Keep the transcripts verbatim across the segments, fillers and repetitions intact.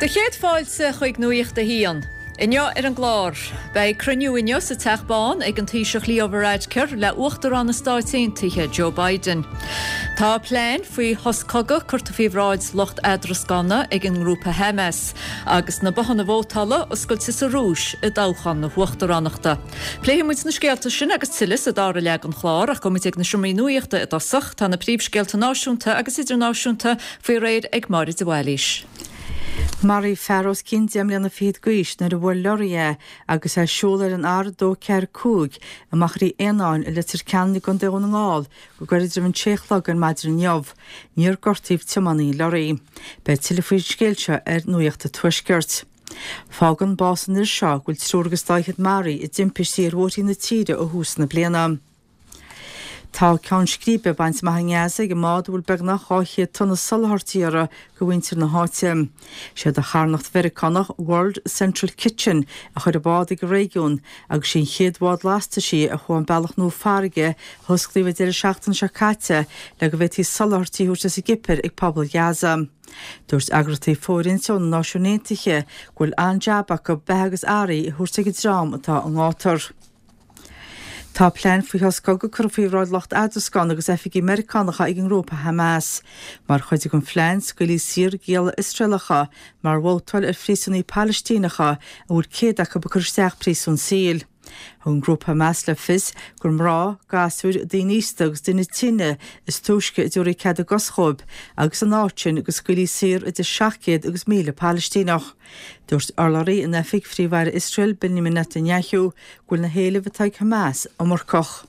Do chéad fáilte chuig Nuacht a hAon. Inniu ar an gclár, beidh cruinniú inniu sa Teach Bán ag an Taoiseach Leo Varadkar le Uachtarán na Stát Aontaithe Joe Biden. Tá plean faoi shos cogaidh curtha faoi bhráid lucht eadrascána ag an ngrúpa Hamas agus na bothanna vótála oscailte sa Rúis i dtoghchán na huachtaránachta. Pléifidh muid na scéalta sin agus tuilleadh sa dara leath den chlár ach gabhfaidh muid ag na seomraí nuachta i dtosach tá na príomhscéalta náisiúnta agus idirnáisiúnta faoi réir ag Máire de Bhailís. Maraíodh fear os cionn deich mbliana fichead d'aois nuair a bhuail leoraí é agus é ag siúl ar an R dó ceathair cúig i Machairí Éanáin i Leitir Ceanainn i gContae Dhún na nGall go gairid roimh an sé a chlog ar maidin inniu. Níor gortaíodh tiománaí an leoraí. Beidh tuilleadh faoin scéal seo ar Nuacht an Tuaiscirt. Fágann bás an fhir seo go bhfuil triúr agus dá fhichead maraithe i dtimpistí ar bhóithrí na tíre ó thús na bliana. Tá ceann scríbe bainte amach i nGaza ag an mbád a bhfuil beagnach dhá chéad tonna soláthairtí uirthi do mhuintir na háite. Siad an charthanacht Mheiriceánach World Central Kitchen a chuir an bád ag an réigiún agus sí an chéad bhád lastaisí a chuaigh an bealach nua farraige a hosclaíodh an deireadh seachtaine seo caite le go bhféadfaí soláthairtí a thabhairt as an gCipir ag pobal Ghaza. Dúirt eagraíochtaí fóirithinte ó na Náisiúin Aontaithe go bhfuil an-jab acu beatha agus earraí a thabhairt ag an dream atá i ngátar. Tá plean faoi shos cogaidh curtha faoi bhráid lucht eadrascána agus oifigigh Meiriceánacha ag an ngrúpa Hamas. Mar chuid den phlean scaoilfí saor gialla Iosraelacha mar bhabhtáil ar phríosúnaigh Palaistíneacha a bhfuil céad acu ag cur isteach príosún saoil. Thug an grúpa Hamas le fios gur mná, gasúir, daoine aosta agus daoine tinne is túisce a dtabharfaí cead a gcos dhóibh agus san áit sin go scaoilfí saor idir seacht gcéad agus míle Palaistíneach. Dúirt urlabhraí in oifig Phríomh-Aire Iosrael Benjamin Netanyahu go bhfuil na héilimh atá ag Hamas iomarcach.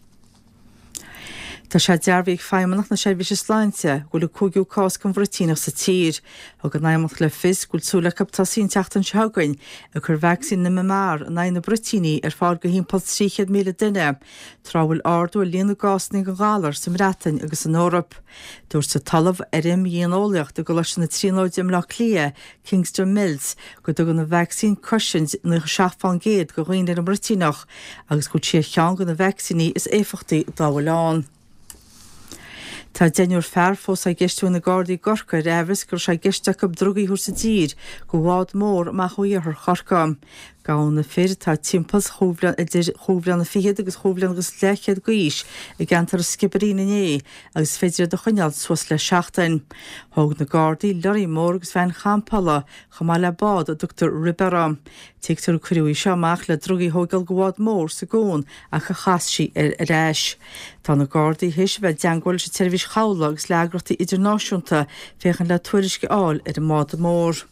Tá sé dearbhaithe ag Feidhmeannacht na Seirbhíse Sláinte go bhfuil an cúigiú cás den bhruitíneach sa tír. Thug an Fheidhmeannacht le fios go bhfuil súil acu tosaí an tseachtain seo chugainn ag cur vacsaín M M R in aghaidh na bruitíní ar fáil go thimpeall trí chéad míle duine, tráth a bhfuil ardú ar líon na gcásanna den ghalar sa mBreatain agus san Eoraip. Dúirt an tOllamh ar Imdhíoneolaíocht i gColáiste na Tríonóide i mBleá Cliath, Kingston Mills, go dtugann an vacsaín cosaint nócha seacht fán gcéad do dhaoine ar an mbruitíneach agus go bhfuil sí ar cheann de na vacsaíní is éifeachtaí dá bhfuil ann. Tá deichniúr fear fós á gceistiú ag na Gardaí i gCorcaigh ar aimhreas go raibh sé i gceist acu drugaí a thabhairt i dtír go bhád mór amach ó iarthar Chorcaí. Gabhadh na fir atá timpeall idir chúig bhliana fichead agus chúig bhliana agus leathchéad d'aois i gceantar an Sciobairín inné agus is féidir iad a choinneáil suas le seachtain. Thóg na Gardaí lorry mór agus veain champála chomh maith le bád a dtugtar RIB uirthi. Tuigtear gur cuireadh í seo amach le drugaí a thógáil go bhád mór sa gcuan ach a chas sí ar ar ais. Tá na Gardaí théis a bheith i dteagmháil leis an tseirbhís chabhlaigh agus le heagraíochtaí idirnáisiúnta féachaint le tuairisc a fháil ar an mbád mór.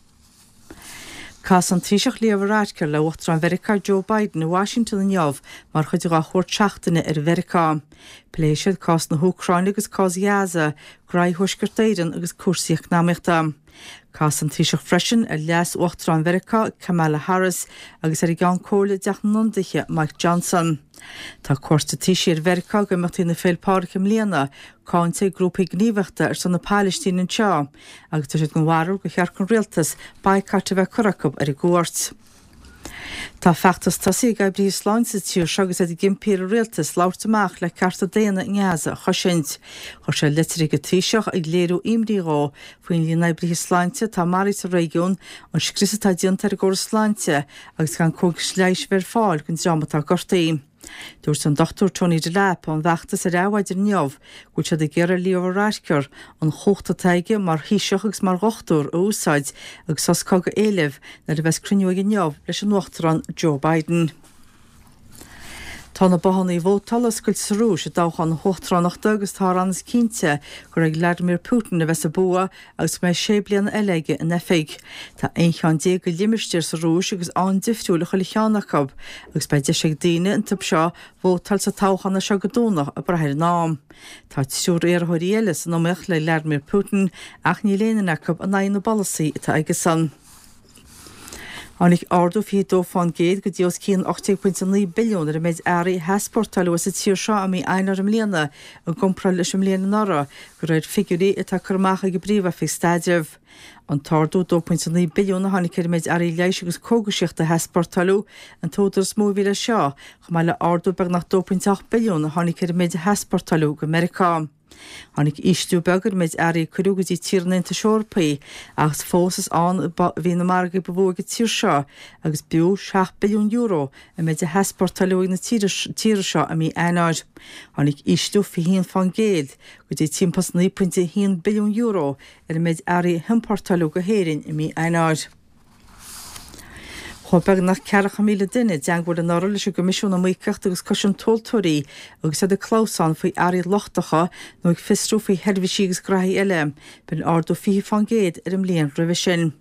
Casfaidh an Taoiseach Leo Varadkar le Uachtarán Mheiriceá Joe Biden i Washington inniu mar chuid dá chuairt seachtaine ar Mheiriceá. Pléifidh siad cás na hÚcráine agus cás Ghaza, graí Thuaisceart Éireann agus cúrsaí eacnamaíochta. Casfaidh an Taoiseach freisin ar leas Uachtarán Mheiriceá Kamala Harris agus ar an gCeann Comhairle i dTeach na nIonadaithe Mike Johnson. Tá cuairt an Taoisigh ar Mheiriceá ag imeachtaí na Féile Pádraig i mbliana cáinte ag grúpaí gníomhaíochta ar son na Palaistíne anseo, agus tá siad den bharúil gur cheart don rialtas baghcat a bheith curtha acu ar an gcuairt. Tá feachtas tosaithe ag oibrithe sláinte sa tír seo agus iad ag impí ar an rialtas labhairt amach le cearta daonna i nGaza a chosaint. Chuir siad litir ag an Taoiseach ag léiriú imní dhó faoin líon oibrithe sláinte atá maraithe sa réigiún, an scrios atá déanta ar an gcóras sláinte agus gan cógas leighis a bheith ar fáil don dream atá gortaithe. Dúirt an Dr Tony Delap ón bhfeachtas ar Adhmhaidin inniu go bhfuil siad ag iarraidh Leo Varadkar an chumhacht atá aige mar Thaoiseach agus mar dhochtúir a úsáid agus sos cogaidh a éileamh nuair a bheas cruinniú aige inniu leis an Uachtarán Joe Biden. Tá na bothanna vótála oscailte sa Rúis i dtoghchán na huachtaránachta agus tá an-is cinnte gur ag Vladimir Putin a bheas an bua agus go mbeidh sé bliana eile aige in oifig. Tá aon cheann déag de limistéir sa Rúis agus an-difriúil chuile cheann acu, agus beidh deis ag daoine iontu seo vótáil sa toghchán seo go Domhnach ag brath ar an am. Tá triúr iarrthóirí eile san iomaíocht le Vladimir Putin ach níl aon duine acu in aghaidh na bpolasaí atá aigesan. Tháinig ardú fiche dó fán gcéad go dtí os cionn ocht déag pointe naoi billiún ar an méid earraí a heaspórtáileadh as an tír seo i mí Eanáir i mbliana i gcomparáid leis an mbliain anuraidh, de réir figiúirí atá curtha amach ag an bPríomh-Oifig Staidrimh. An t-ardú dó pointe naoi billiún a tháinig ar an méid earraí leighis agus cógaisíochta a heaspórtáileadh, an t-údar is mó a bhí leis seo, chomh maith le ardú beagnach dó pointe ocht billiún a tháinig ar an méid a heaspórtáileadh go Meiriceá. Tháinig ísliú beag ar an méid earraí a cuireadh go dtí tír an Aontais Eorpaigh ach fós is ann a bhí na margaí ba mhó ag an tír seo agus b'fhiú seacht billiún euro an méid a heaspórtáladh uaidh na tíre seo i mí Eanáir. Tháinig ísliú fiche haon fán gcéad go dtí timpeall is naoi pointe a haon billiún euro ar an méid earraí a hiompórtáladh go hÉirinn i mí Eanáir. Chuaigh beagnach ceathracha míle duine i dteagmháil anuraidh leis an gCoimisiún Iomaíochta agus Cosaint Tomhaltóirí agus iad ag clamhsán faoi earraí lochtacha nó ag fiosrú faoi sheirbhísí agus graithí eile. B'in ardú fiche fán gcéad ar an mbliain roimhe sin.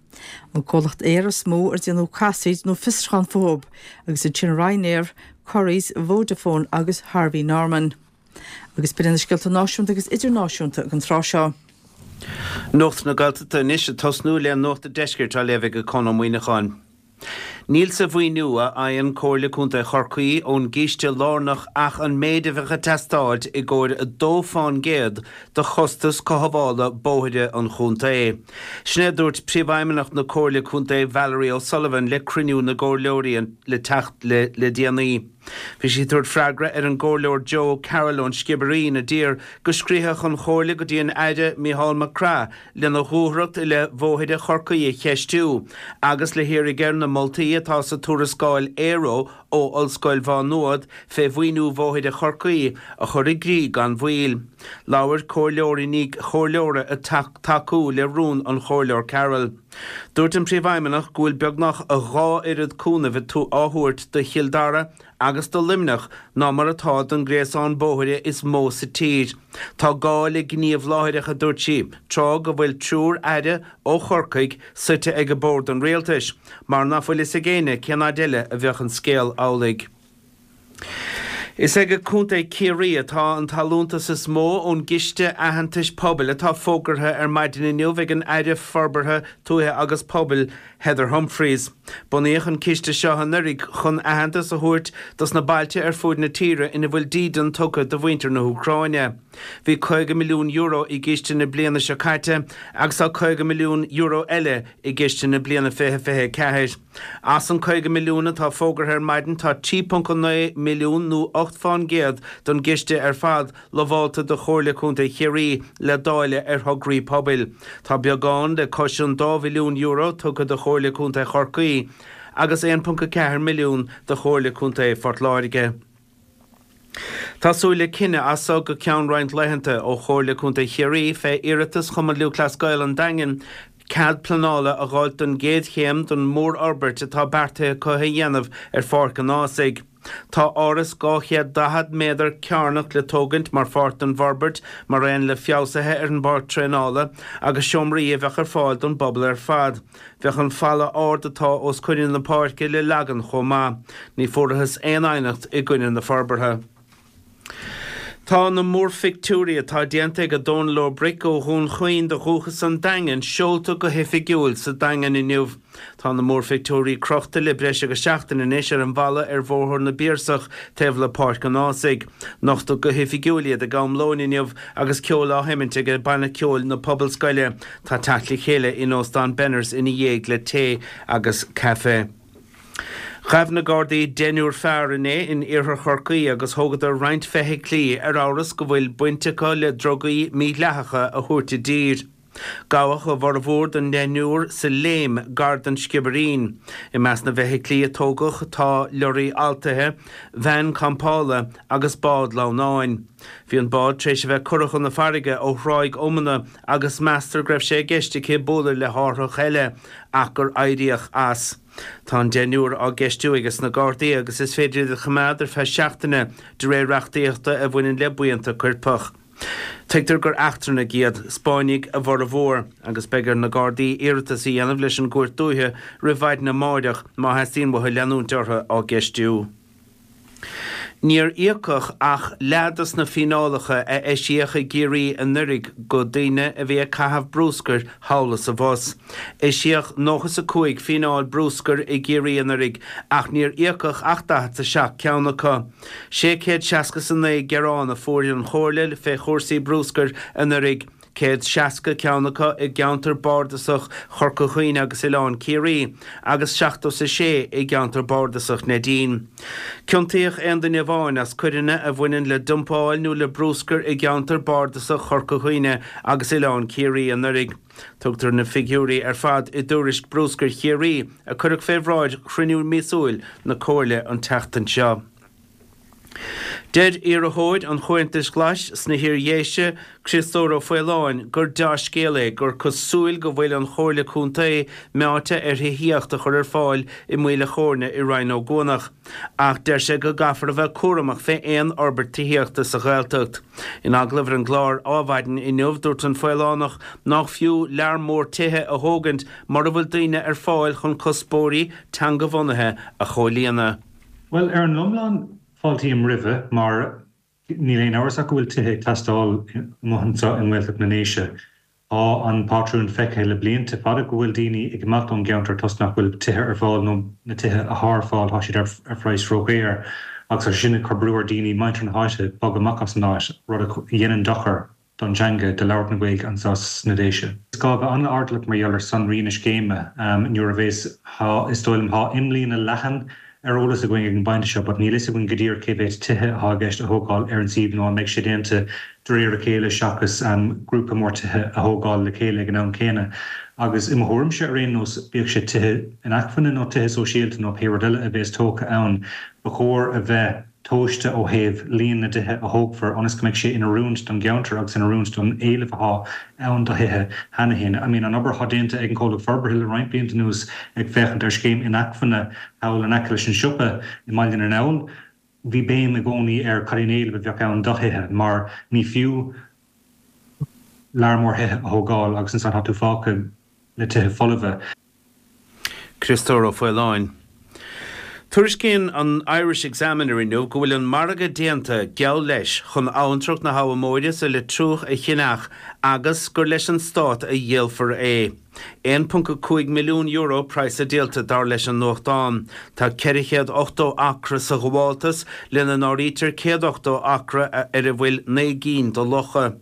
An comhlacht aeir is mó ar déanadh casaoid nó fiosrúchán fúthu agus ansin Ryanair, Currys, Vodafone agus Harvey Norman. Agus b'in na scéalta náisiúnta agus idirnáisiúnta ag an tráth seo. Nuacht na Gaeltachta anois ag tosnú le Nuacht an Deiscirt á léamh ag Conn Ó Muíneacháin. Níl sa mhaoiniú a fhaigheann Comhairle Contae Chorcaí ón gCiste Lárnach ach an méid a bheadh ag teastáilt i gcomhair a dó fán gcéad de chostas cothabhála bóithre an chontae. Sin é a dúirt Príomhfheidhmeannach na Comhairle Contae Valerie O'Sullivan le cruinniú na gcomhairleoirí le teacht le déanaí. Bhí sí ag tabhairt freagra ar an gComhairleoir Joe Carroll ón Sciobairín a d'iarr go scríobhfadh an Chomhairle go dtí an Aire Mícheál Mac Craith lena dhúthracht i leith bhóithre Chorcaí a cheistiú agus le hiarraidh air na moltaí atá sa tuarascáil Aero ó Ollscoil Mhá Nuad fé mhaoiniú bhóithre Chorcaí a chur i gcrích gan mhoill. Labhair comhairleoir i ndiaidh comhairleora ag tacú le rún an Chomhairleoir Carroll. Dúirt an Príomhfheidhmeannach go bhfuil beagnach a dhá oiread cúnaimh á thabhairt do Chill Dara agus do Luimneach ná mar atá don gréasán bóithre is mó sa tír. Tá gá le gníomh láithreach, a dúirt sí, tráth go bhfuil triúr aire ó Chorcaigh suite ag bord an rialtais, mar ná fuil fhios ag éinne cén fhaid eile a bheadh an scéal amhlaidh. Is ag Contae Ciarraí atá an t-allúntas is mó ón gCiste Aitheantais Pobail atá fógartha ar maidin inniu ag an Aire Forbartha Tuaithe agus Pobail, Heather Humphreys. Bunaíodh an ciste seo anuraidh chun aitheantas a thabhairt dos na bailte ar fuaid na tíre ina bhfuil dídean tugtha do mhuintir na hÚcráine. Bhí caoga milliún euro i gciste na bliana seo caite agus tá caoga milliún euro eile i gciste na bliana fiche fiche a ceathair. As an caoga milliún atá fógartha ar maidin tá trí ponc naoi milliún nó ocht fán gcéad don gciste ar fad lamhálta do Chomhairle Contae Chiarraí le dáileadh ar thograí pobail. Tá beagán le cois an dá mhilliún euro tugtha do Chomhairle Contae Chorcaí agus aon ponc a ceathair milliún do Chomhairle Contae Phort Láirge. Tá súil le cinneadh as so go ceann roinnt laethanta ó Chomhairle Contae Chiarraí fé iarratas Chumann Lúthchleas Gael an Daingin cead pleanála a dh'fháilt don gcéad chéim don mhórfhorbairt atá beartaithe acu a dhéanamh ar Pháirc an Ághasaigh. Tá áras dhá chéad daichead méadar cearnach le tógaint mar pháirt den bhforbairt, mar aon le feabhsuithe ar an bpáirc traenála agus seomraí a bheadh ar fáil don bpobal ar fad. Bheadh an falla ard atá os coinne na páirce le leagan chomh maith. Ní fuarathas aon aighneacht i gcoinne na forbartha. Tá na múrphictiúirí atá déanta ag Dónal Ó Bric ó Dhún Chaoin de dhúchas an Daingin seolta go hoifigiúil sa Daingean inniu. Tá na múrphictiúirí crochta le breis agus seachtain anois ar an bhalla ar Bhóthar na bPiarsach taobh le Páirc an Ághasaigh. Nochtadh go hoifigiúil iad ag am lóin inniu agus ceol á sheimint ag Banna Ceoil na Pobalscoile. Tá teacht le chéile in Óstán Benners ina dhiaidh le tae agus caife. Ghabh na Gardaí deichniúr fear inné in iarthar Chorcaí agus thógadar roinnt feithiclí ar amhras go bhfuil baint acu le drugaí mídhleathacha a thabhairt i dtír. Gabhadh a bhformhór den deichniúr sa Léim, gar don Sciobairín. I measc na bhfeithiclí a tógadh tá leoraí altaithe, veain campála agus bád lamhnáin. Bhí an bád tar éis a bheith curtha chun na farraige ó Thráigh Iomana agus meastar go raibh sé i gceist aici bualadh le hárthach eile ach gur éiríodh as. Tá an deichniúr á gceistiú ages na Gardaí agus is féidir iad a choimeád ar feadh seachtaine de réir reachtaíochta a bhaineann le buíonta coirpeach. Tuigtear gur eachtrannaigh iad, Spáinnigh a bhformhór, agus beidh ar na Gardaí iarratas a dhéanamh leis an gCúirt Dúiche roimh mhaidin amáireach má theastaíonn uathu leanúint orthu á gceistiú. Níor íocadh ach leath dos na fíneálacha a eisíodh i gCiarraí anuraidh go daoine a bhí ag caitheamh brúscair thall is abhus. Eisíodh nócha is a cúig fíneáil brúscair i gCiarraí anuraidh ach níor íocadh ach daichead is a seacht ceann acu. Sé chéad seasca is a naoi gearán a fuair an Chomhairle fé chúrsaí brúscair anuraidh, céad seasca ceann acu i gceantar bardasach Chorca Dhuibhne agus Oileán Ciarraí agus seachtó is a sé i gceantar bardasach Neidín. Ciontaíodh aon duine amháin as coireanna a bhaineann le dumpáil nó le bruscar i gceantar bardasach Chorca Dhuibhne agus Oileán Ciarraí anuraidh. Tugtar na figiúirí ar fad i dtuairisc bruscair Chiarraí a cuireadh fé bhráid chruinniú míosúil na Comhairle an tseachtain seo. Deir iarrthóir an Chomhaontais Ghlais sna hIar-Dhéise, Criostóir Ó Faoláin, gur dea-scéal é gur cosúil go bhfuil an Chomhairle Contae meáite ar thithíocht a chur ar fáil i Maoil a' Chóirne i Rinn Ó gCuanach, ach deir sé go gcaithfear a bheith cúramach fé aon fhorbairt tithíochta sa Ghaeltacht. In agallamh ar an gclár Adhmhaidin inniu, dúirt an Faolánach nach fiú lear mór tithe a thógaint mura bhfuil daoine ar fáil chun cuspóirí teangabhunaithe a chomhlíonadh. Bhuel, ar an iomlán, Fáiltím roimhe mar níl aon amhras ach go bhfuil tithe ag teastáil amuigh anseo i nGaeltacht na nDéise. Tá an pátrún feicthe le blianta fada go bhfuil daoine ag imeacht ón gceantar toisc nach bhfuil tithe ar fáil nó na tithe atá ar fáil tá siad ar phraghas ródhaor agus tá sé sin ag cur brú ar daoine, muintir na háite, bogadh amach as an áit, rud a dhéanann dochar don teanga, do labhairt na Gaeilge anseo sna Déise. Is gá a bheith an-airdeallach mar gheall ar sonraí na scéime nuair a bhéas, tá, is dóigh liom, tá imlíne leathan ar eolas againn ag an bpointe seo but níl fhios againn go díreach cé mhéad tithe atá i gceist a thógáil ar an suíomh nó an mbeidh sé déanta de réir a chéile seachas grúpa mór tithe a thógáil le chéile ag an am céanna. Agus i mo thuairimse ar aon nós, bíodh sé tithe inacmhainne nó tithe sóisialta nó pé rud eile a bhéas tógtha ann, ba chóir a bheith tomhaiste ó thaobh líon na dtithe a thógfar ionas go mbeidh sé in oiriúint don gceantar agus in oiriúint don éileamh atá ann do thithe cheana féin. I mean, an obair atá déanta ag an chomhlacht forbartha le roinnt blianta anuas ag féachaint ar scéim inacmhainne thall in aice leis an siopa i mBaile na nGall, bhí béim i gcónaí ar cad é an éileamh a bheadh ann do thithe mar ní fiú lear mór thithe a thógáil agus ansan tá tú fágtha le tithe folmha. Criostóir Ó Faoláin. Tuairiscíonn an Irish Examiner inniu go bhfuil an margadh déanta, geall leis, chun abhantrach na hAbha Móire sa Leitriúch a cheannach agus gur leis an Stát a dhíolfar é. aon ponc a cúig milliún euro praghas a díolta, dar leis an nuachtán. Tá ceithre chéad ochtó acra sa ghabháltas, lena n-áirítear céad ochtó acra ar a bhfuil naoi gcinn de locha.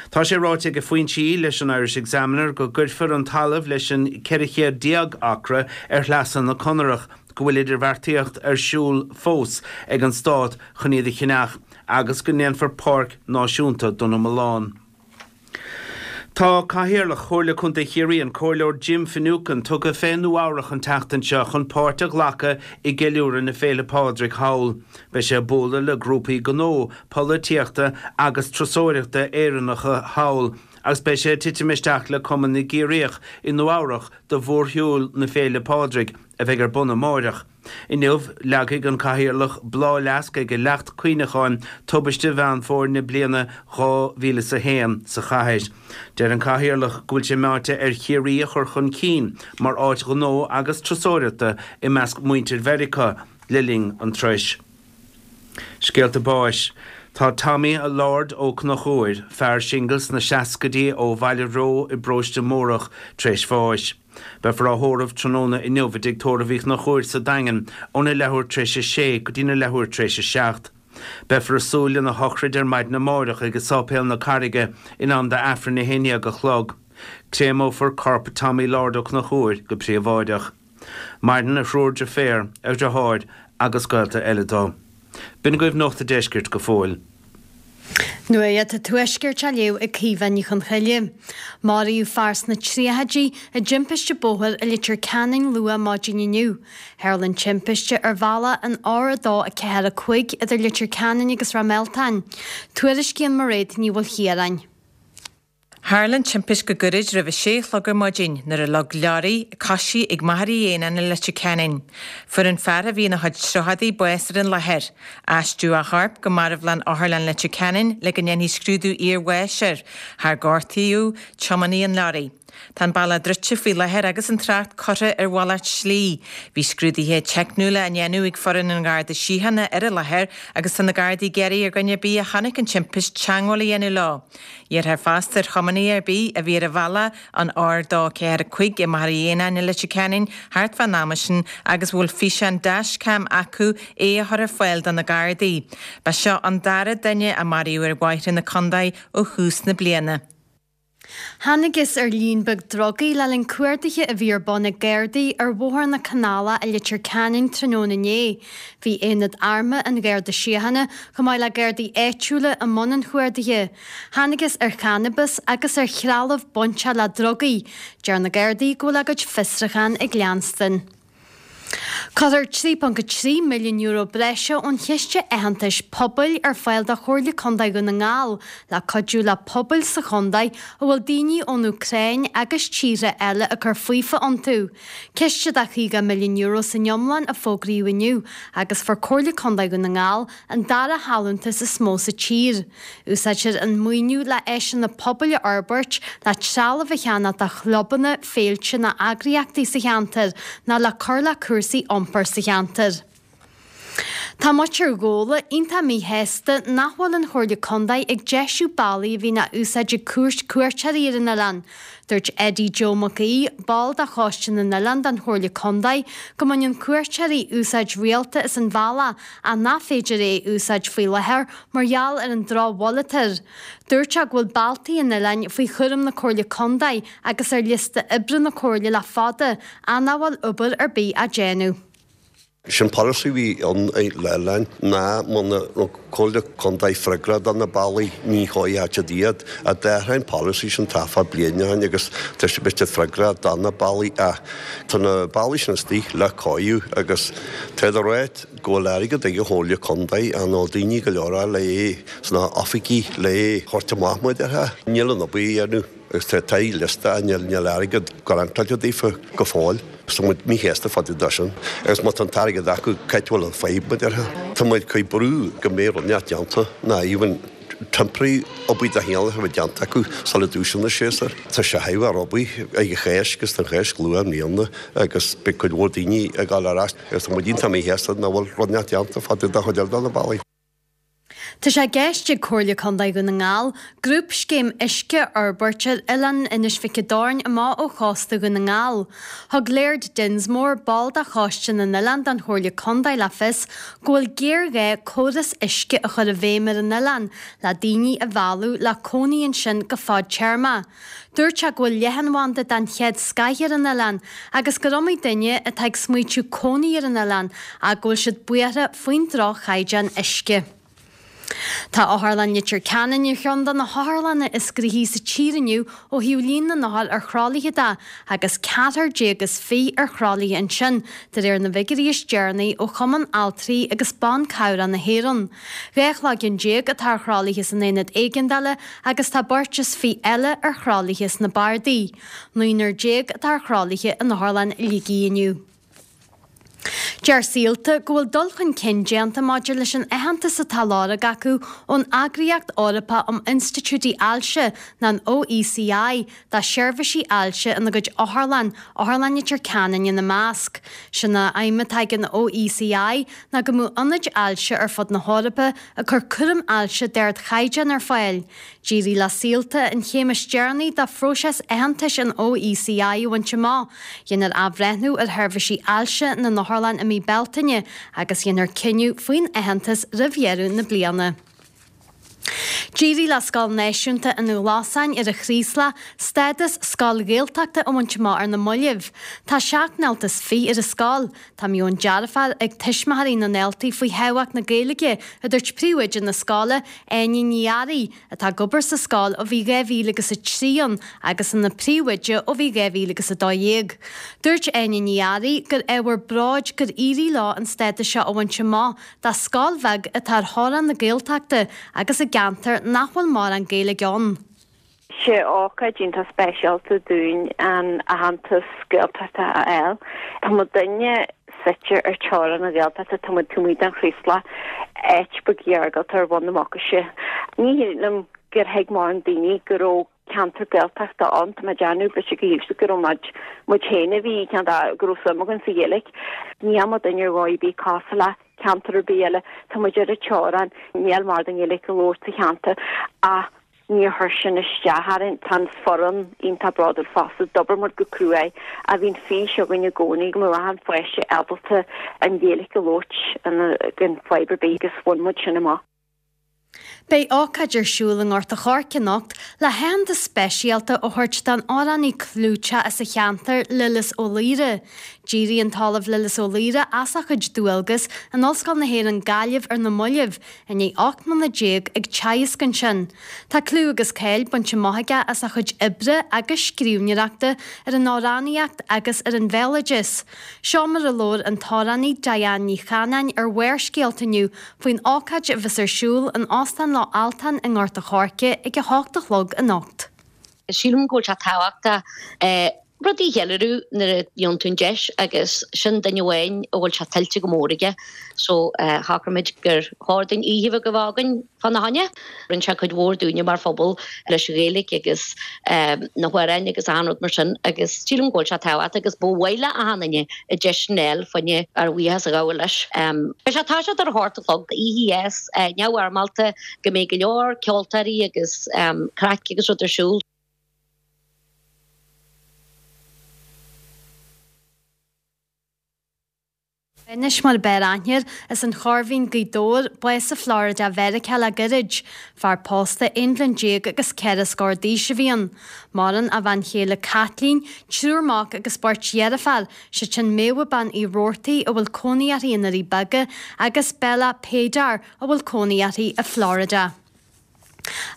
Tá sé ráite ag foinsí leis an Irish Examiner go gcuirfear an talamh leis an ceithre chéad déag acra ar Shleasa na Conarach, go bhfuil idirbheartaíocht ar siúl fós ag an Stát chun iad a cheannach agus go ndéanfar páirc náisiúnta de na mulláin. Tá Cathaoirleach Chomhairle Contae Chiarraí, an Comhairleoir Jim Finucane, tugtha fé Nua Eabhrac an tseachtain seo chun páirt a ghlacadh i gceiliúradh na Féile Pádraig thall. Beidh sé ag bualadh le grúpaí gnó, polaitíochta agus turasóireachta Éireannacha thall agus beidh sé ag titim isteach le Cumann na gCiarraíoch i Nua Eabhrac do mhórshiúl na Féile Pádraig a bheidh ar bun amáireach. Inniu, leagfaidh an Cathaoirleach bláthfhleasc ag leacht cuimhneacháin tubaiste Mheán Fómhair na bliana dhá mhíle is a haon sa chathair. Deir an Cathaoirleach go bhfuil sé meáite ar Chiarraí a chur chun cinn mar áit ghnó agus turasóireachta i measc muintir Mheiriceá le linn an turais. Scéalta báis. Tá Tommy Lord Ó Conchúir, fear singil sna seascaidí ó Bhaile Reo i bparóiste Mórdhach, tar éis bháis. Beifear á thórramh tráthnóna inniu i dTigh Tórraimh Uí Chonchúir sa Daingean óna leathuair tar éis a sé go dtína leathuair tar éis a seacht. Beifear ag súil lena shochraid ar maidin amáireach ag Sáipéal na Carraige in am d'Aifreann a haon déag a chlog. Créamófar corp Tommy Lord Ó Conchúir go príobháideach. Maireann a thriúr deirféar, a dhriotháir agus gaolta eile dó. B'in agaibh Nuacht a' Deiscirt go fóill. Nuacht an Tuaiscirt á léamh ag Caoimhe Ní Chonchoille. Maraíodh fear sna tríochaidí i dtimpiste bóthair i Leitir Ceanainn luath maidin inniu. Tharla an timpiste ar bhealach an R a dó a ceathair a cúig idir Leitir Ceanainn agus Ráth Mealtain. Tuairiscíonn Mairéad Ní Mhaoilchiaráin. Tharla an timpist go gairid roimh a sé a chlog ar maidin nuair a leag leoraí coisithe ag Machaire Dhéanáin i Leitir Ceanainn. Fuair an fear a bhí ina chuid tríochaidí bás ar an láthair. Aistríodh a chorp go marbhlann Otharlann Leitir Ceanainn le go ndéanfaí scrúdú iarbháis air. Char gortaíodh tiománaí an leoraí. Tá an bealach druidte faoi láthair agus an trácht curtha ar mhalairt slí. Bhí scrúduithe teicniúla á ndéanamh ag foireann an Gharda Síochána ar an láthair agus tá na Gardaí ag iarraidh ar dhuine ar bith a chonaic an timpist teagmháil a dhéanamh leo. Iarrthar fosta ar thiománaí ar bith a bhí ar bhealach an R dó ceathair a cúig i Machaire Dhéanáin i Leitir Ceanainn thart fán am sin agus a bhfuil físeán dashcam acu é a chur ar fáil do na Gardaí. Ba seo an dara duine a maraíodh ar bhóithre na contae ó thús na bliana. Thángthas ar líon beag drugaí le linn cuardaithe a bhí ar bun ag Gardaí ar Bhóthar na Canálach i Leitir Ceanainn tráthnóna inné. Bhí aonad armtha an Gharda Síochána chomh maith le Gardaí áitiúla i mbun an chuardaithe. Thángthas ar channabas agus ar threalamh bainteach le drugaí. Deir na Gardaí go bhfuil a gcuid fiosrúchán ag leanstan. Cuirfear trí ponc a trí milliún euro breise ón Chiste Aitheantais Pobail ar fáil do Chomhairle Contae Dhún na nGall le cuidiú le pobail sa chontae a bhfuil daoine ón Úcráin agus tíortha eile ag cur faofa iontu. Ciste de chaoga milliún euro san iomlán a fógraíodh inniu agus fuair Comhairle Contae Dhún na nGall an dara hallúntas is mó sa tír. Úsáidfear an maoiniú le áiseanna pobail a fhorbairt, le trealamh a cheannach do chlubanna, féilte nó eagraíochtaí sa cheantar nó le cur le cúrsaí iompair sa cheantar. Tá muintir Ghabhla iontach míshásta nach bhfuil an Chomhairle Contae ag deisiú bealaí a bhíonn á úsáid ag cuairteoirí ar an oileán. Dúirt Eddie Joe Mac Aoidh, ball de Choiste na nOileán den Chomhairle Contae, go mbaineann cuairteoirí úsáid rialta as an bhealach ach nach féidir é a úsáid faoi láthair mar gheall ar an drochbhail atá air. Dúirt sé go bhfuil bealtaí an oileáin faoi chúram na Comhairle Contae agus ar liosta oibre na Comhairle le fada ach nach bhfuil obair ar bith á déanamh. Sin polasaí a bhí ann le oileáin ná muna raibh Comhairle Contae freagrach do na bealaí ní chuaigh áit ar bith iad. Ach d'athraigh an polasaí sin taifead bliain ó shin agus tá siad beirt freagrach do na bealaí ach tá na bealaí sin istigh le cóiriú agus tá de ráit go bhfuil airgead ag an Chomhairle Contae ach níl daoine go leor le é sna oifigí le é a thabhairt amach mar a déarfá. Níl an obair á dhéanamh. Agus tá tá liosta níl níl airgead garantáilte daofa go fóill. Tá muid míshásta fá dtaobh de sin. Agus má tá an t-airgead acu cá bhfuil an fadhb mar a déarfá. Tá muid ag cur brú go mbeidh rud inteacht déanta ná even temporary obair de chineál a bheith déanta acu sula dtúisíonn an séasúr. Tá sé thar obair ag an Cháisc agus an Cháisc luath i mbliana agus beidh cuid mhór daoine ag dul ar ais agus tá muid iontach míshásta nach bhfuil rud inteacht déanta fá dtaobh de chuid eile de na bealaí. Tá sé i gceist ag Comhairle Contae Dhún na nGall grúpscéim uisce a fhorbairt ar oileán Inis Mhic an Doirn amach ó chósta Dhún na nGall. Thug Laird Dinsmore, ball de Choiste na nOileán den Chomhairle Contae le fios go bhfuil géarghá córas uisce a chur i bhfeidhm ar an oileán le daoine a mhealladh le cónaí ansin go fadtéarmach. Dúirt sé go bhfuil leathanbhanda den chéad scoth ar an oileán agus gur iomaí duine atá ag smaoitiú cónaí ar an oileán ach go bhfuil siad buartha faoin droch-chaighdeán uisce. Tá Otharlann Leitir Ceanainn ar cheann de na hotharlanna is gnoithí sa tír inniu ó thaobh líon na n-othar ar thralaithe de, agus ceathrar déag is fiche ar thralaithe ansin, de réir na bhfigiúirí is deireanaí ó Chumann Altraí agus Ban Cabhrach na hÉireann. Dhá chloigeann déag atá ar thralaithe san aonad éigeandála agus tá beirt is fiche eile ar thralaithe sna bardaí. Naonúr déag atá ar thralaithe in Otharlann Shligigh inniu. Deir Saolta go bhfuil dul chun cinn déanta maidir leis an aitheantas atá á lorg acu ón Eagraíocht Eorpach um Institiúidí Ailse, nó an OECI, dá seirbhísí ailse ina gcuid otharlann, Otharlann Leitir Ceanainn ina measc. Sin an aidhm atá ag an OECI ná go mbeadh ionaid ailse ar fud na hEorpa ag cur cúram ailse d'ardchaighdeán ar fáil. D'éirigh le Saolta an chéim is deireanaí de phróiseas aitheantais an OECI a bhaint amach. Dhéanfar athbhreithniú ar sheirbhísí ailse na n-otharlann i mí Bealtaine agus dhéanfar cinneadh faoin aitheantas roimh dheireadh na bliana. D'éirigh le Scoil Náisiúnta an Ghlasáin ar an Chraoslach stádas Scoil Ghaeltachta a bhaint amach ar na mallaibh. Tá seacht ndalta is fiche ar an scoil. Tá meon dearfach ag tuismitheoirí na ndaltaí faoi thábhacht na Gaeilge, a dúirt príomhoide na scoile, Áine Ní Fhearraigh, atá ag obair sa scoil ó bhí dhá mhíle agus a trí ann agus ina príomhoide ó bhí dhá mhíle agus a dó dhéag. Dúirt Áine Ní Fhearraigh gur ábhar bróid gur éirigh leo an stádas seo a bhaint amach do scoil bheag atá ar theorainn na Gaeltachta agus i gceantar nach bhfuil mórán Gaeilge ann. Sé ócáid iontach speisialta dúinn an aitheantas Gaeltachta a fháil. Tá muidinne suite ar teorainn na Gaeltachta, tá muid taobh amuigh den Chraoslach, áit beag iargúlta ar bhun na Mucaise. Ní shílim gur thuig mórán daoine go raibh ceantar Gaeltachta ann, tá mé ag déanamh b'fhéidir go go raibh muid muid féin a bhí ceann go raibh suim againn sa Ghaeilge. Níl muidinne ar dhóigh ar bith cosúil le ceantar ar bith eile, tá muid ar an teorainn, níl mórán Gaeilge á labhairt sa cheantar ach níor chuir sin isteach orainn, tá an foireann iontach bródúil fosta, d'obair muid go cruaidh ach bhí an fís againn i gcónaí go mbeadh achan pháiste ábalta an Ghaeilge a labhairt gan fadhb ar bith agus bhain muid sin amach. Beidh ócáid ar siúl i nGort a' Choirce anocht le haitheantas speisialta a thabhairt don amhránaí clúiteach as an cheantar, Lillis Ó Laoire. D'éirigh an tOllamh Lillis Ó Laoire as a chuid dualgas in Ollscoil na hÉireann Gaillimh ar na mallaibh, i ndiaidh ocht mbliana déag ag teagasc ansin. Tá clú agus cáil bainte amach aige as a chuid oibre agus scríbhneoireachta ar an amhránaíocht agus ar an bhéaloideas. Seo mar a labhair an t-amhránaí Diane Ní Chanainn ar Bharrscéalta inniu faoin ócáid a bheas ar siúl in Óstán Loch Altan i nGort a' Choirce ag a hocht a chlog anocht. Sílim go bhfuil sé tábhachtach rudaí a cheiliúradh nuair a fhaigheann tú an deis agus sin duine amháin a bhfuil sé tuillte go mór aige so shocraigh muid gur chóir dúinn oíche bheag a bheith againn fána choinne. Rinne sé cuid mhór dúinne mar phobal leis an Ghaeilge agus na hamhráin agus achan rud mar sin agus sílim go bhfuil sé tábhachtach agus ba mhaith le achan duine an deis sin a fháil fá choinne ár bhuíochas a ghabháil leis. Beidh sé ag toiseacht ar a hocht a chlog, oíche dheas neamhfhoirmeálta go mbeidh go leor ceoltóirí agus craic agus rud ar siúl. Anois mar ab fhearr aithne air, as an Chorr Mhín, Gaoth Dobhair, bás i Florida Mheiriceá le gairid. Fear pósta aon bhliain déag agus ceithre scór d'aois a bhí ann. Maireann a bhean chéile Caitlín, triúr mac agus beirt dheirféar, siad sin Méabha Bean Uí Robhartaigh a bhfuil cónaí uirthi i nDoirí Beaga agus Bella Paydar a bhfuil cónaí uirthi i Florida.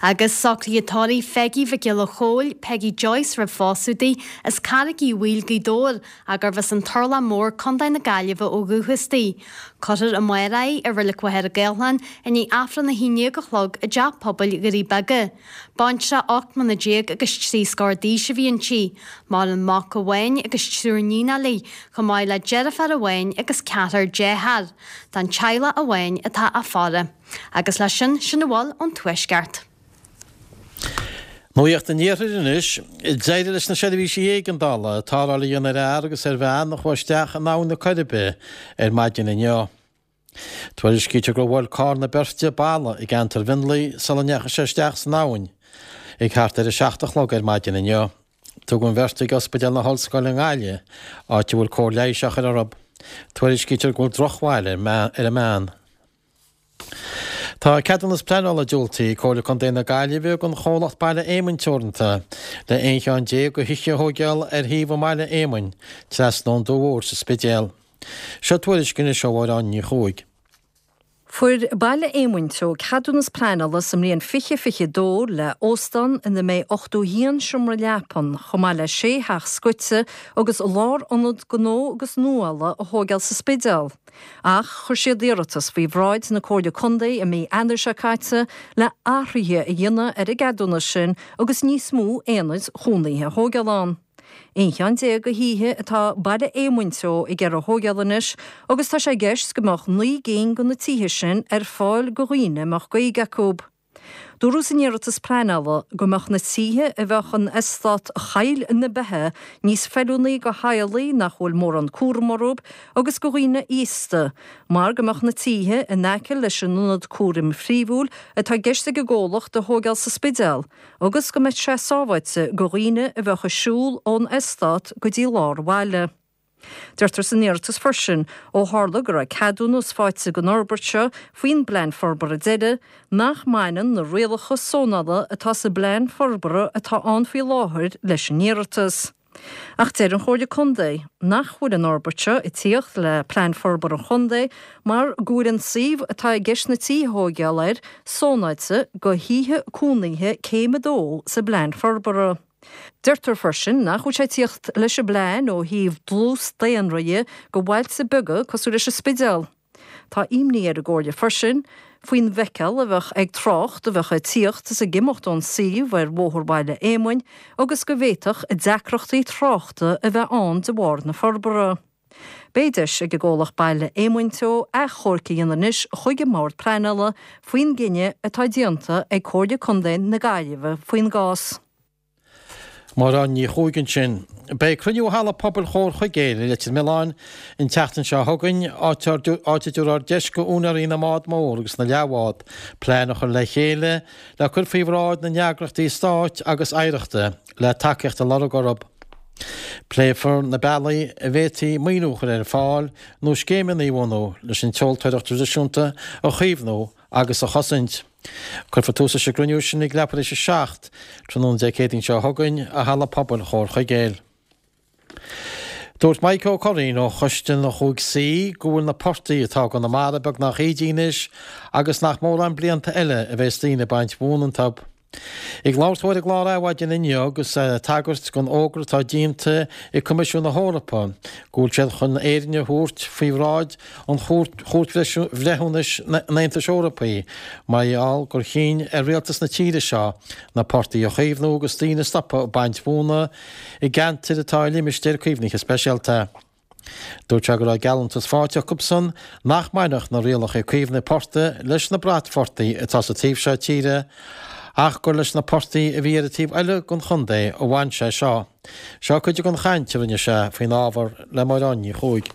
Agus socruithe tórraimh Pheigí Mhic Giolla Chóill, Peggy Joyce roimh phósadh di, as Carraig Uí Bhaoill, Gaoth Dobhair, gurbh as an Turlach Mór, Contae na Gaillimhe ó dhúchas di. Cuirfear amárach í i Reilig Mhachaire Gathlán i ndiaidh Aifreann a haon déag a chlog i dTeach Pobail Dhoirí Beaga. Baintreach ocht mbliana déag agus trí scór d'aois a bhí inti. Maireann mac amháin agus triúr níonacha léi, chomh maith le deirfiúr amháin agus ceathrar dearthár. Don teaghlach amháin atá á faire. Agus leis sin, sin a bhfuil ón Tuaisceart. Nuacht an Iarthair anois. D'éirigh leis na seirbhísí éigeandála tarrtháil a dhéanamh ar fhear agus ar bhean a chuaigh isteach in Abhainn na Coiribe ar maidin inniu. Tuairiscítear gur bhuail carr na beirte balla i gceantar Mhionlaigh sula ndeachaigh sé isteach san abhainn ag thart ar a seacht a chlog ar maidin inniu. Tugadh an bheirt ag Ospidéal na hOllscoile i nGaillimh, áit a bhfuil cóir leighis á chur orthu. Tuairiscítear go bhfuil drochbhail ar an mbean. Tá ceadúnas pleanála diúltaithe ag Comhairle Contae na Gaillimhe don chomhlacht Baile Éamoinn Teoranta le aon cheann déag de thithe a thóigeáil ar thaobh i mBaile Éamoinn, trasna ón Dumha Mhór sa Spidéal. Seo tuairisc anois ó Mháire Áine Ní Chuaig. Fuair Baile Éamoinn Teo ceadúnas pleanála sa mbliain fiche fiche dó le óstán ina mbeidh ochtó haon seomra leapan, chomh maith le sé theach scoite agus lárionad gnó agus nuála a thóigeáil sa Spidéal. Ach chuir siad iarratas faoi bhráid na Comhairle Contae i mí Eanáir seo caite le athruithe a dhéanamh ar an gceadúnas sin agus níos mó aonaid chónaithe a thóigeáil ann. Aon cheann déag de thithe atá Baile Éamoinn Teo ag iarraidh a thóigeáil anois agus tá sé i gceist go mbeadh naoi gcinn de na tithe sin ar fáil do dhaoine a mbeadh Gaeilge acu. Dúradh san iarratas pleanála go mbeadh na tithe a bheadh in eastát Choill na Beithe níos feiliúnaí do theaghlaigh nach bhfuil mórán cúram orthu agus do dhaoine aosta mar go mbeadh na tithe in aice leis an ionad cúraim phríomhúil atá i gceist ag an gcomhlacht a thóigeáil sa Spidéal agus go mbeadh sé sábháilte do dhaoine a bheadh ag siúl ón eastát go dtí lár an bhaile. Deirtear san iarratas freisin, ó tharla go raibh ceadúnas faighte don fhorbairt seo faoin bPlean Forbartha deiridh, nach mbaineann na rialacha sónála atá sa bPlean Forbartha atá ann faoi láthair leis an iarratas. Ach deir an Chomhairle Contae nach bhfuil an fhorbairt seo ag tíocht le Plean Forbartha an Chontae mar go bhfuil an suíomh atá i gceist na tithe a thóigeáil air sónáilte do thithe cónaithe céim a dó sa bPlean Forbartha. Deirtear freisin nach bhfuil sé ag tíocht leis an bplean ó thaobh dlús daonra dhe do bhailte beaga cosúil leis an Spidéal. Tá imní ar an gComhairle freisin faoin bhfeiceáil a bheadh ag trácht a bheadh ag tíocht is ag imeacht ón suíomh ar Bhóthar Bhaile Éamoinn agus go bhféadfadh deacrachtaí tráchta a bheith ann de bharr na forbartha. Beidh deis ag an gcomhlacht Baile Éamoinn Teo achomharc a dhéanamh anois chuig an mBord Pleanála faoin gcinneadh atá déanta ag Comhairle Contae na Gaillimhe faoin gcás. Máire Áine Ní Chuaig ansin. Beidh cruinniú i Halla Pobail Chomhar Chuigéil i Leitir Mealláin an tseachtain seo chugainn, áit a dtabharfar deis do úinéirí na mbád mór agus na leathbhád plean a chur le chéile le cur faoi bhráid na n-eagraíochtaí stáit agus oidhreachta le tacaíocht a lorg orthu. Pléifear na bealaí a bhféadfaí maoiniú a chur ar fáil nó scéimeanna a bhunú leis an tseoltóireacht traidisiúnta a chaomhnú agus a chosaint. Cuirfear tús leis an gcruinniú sin ag leathuair tar éis a seacht tráthnóna Dé Céadaoin seo chugainn i Halla Pobail Chomhar Chuigéil. Dúirt Mike Ó Curraoin ó Choiste na Chúig Suí go bhfuil na portaigh atá i gConamara beagnach ídithe anois agus nach mórán blianta eile a bheas daoine ag baint mhóna iontu. Ag labhairt dó ar an gclár Adhmhaidin inniu agus é ag tagairt don fhógra atá déanta ag Coimisiún na hEorpa go bhfuil siad chun Éirinn a thabhairt faoi bhráid an Chúirt Bhreithiúnais an Aontais Eorpaigh mar gheall gur chinn ar rialtas na tíre seo na portaigh a chaomhnú agus daoine a stopadh ag baint mhóna i gceantair atá i limistéir caomhnaithe speisialta. Dúirt sé go raibh geallúntas faighte acusan nach mbainfeadh na rialacha caomhnaithe portaigh leis na bratphortaigh atá sa taobh seo tíre ach gur leis na portaigh a bhí ar an taobh eile den chontae a bhain sé seo. Seo cuid den chaint a rinne sé faoin ábhar le Máire Áine Ní Chuaig.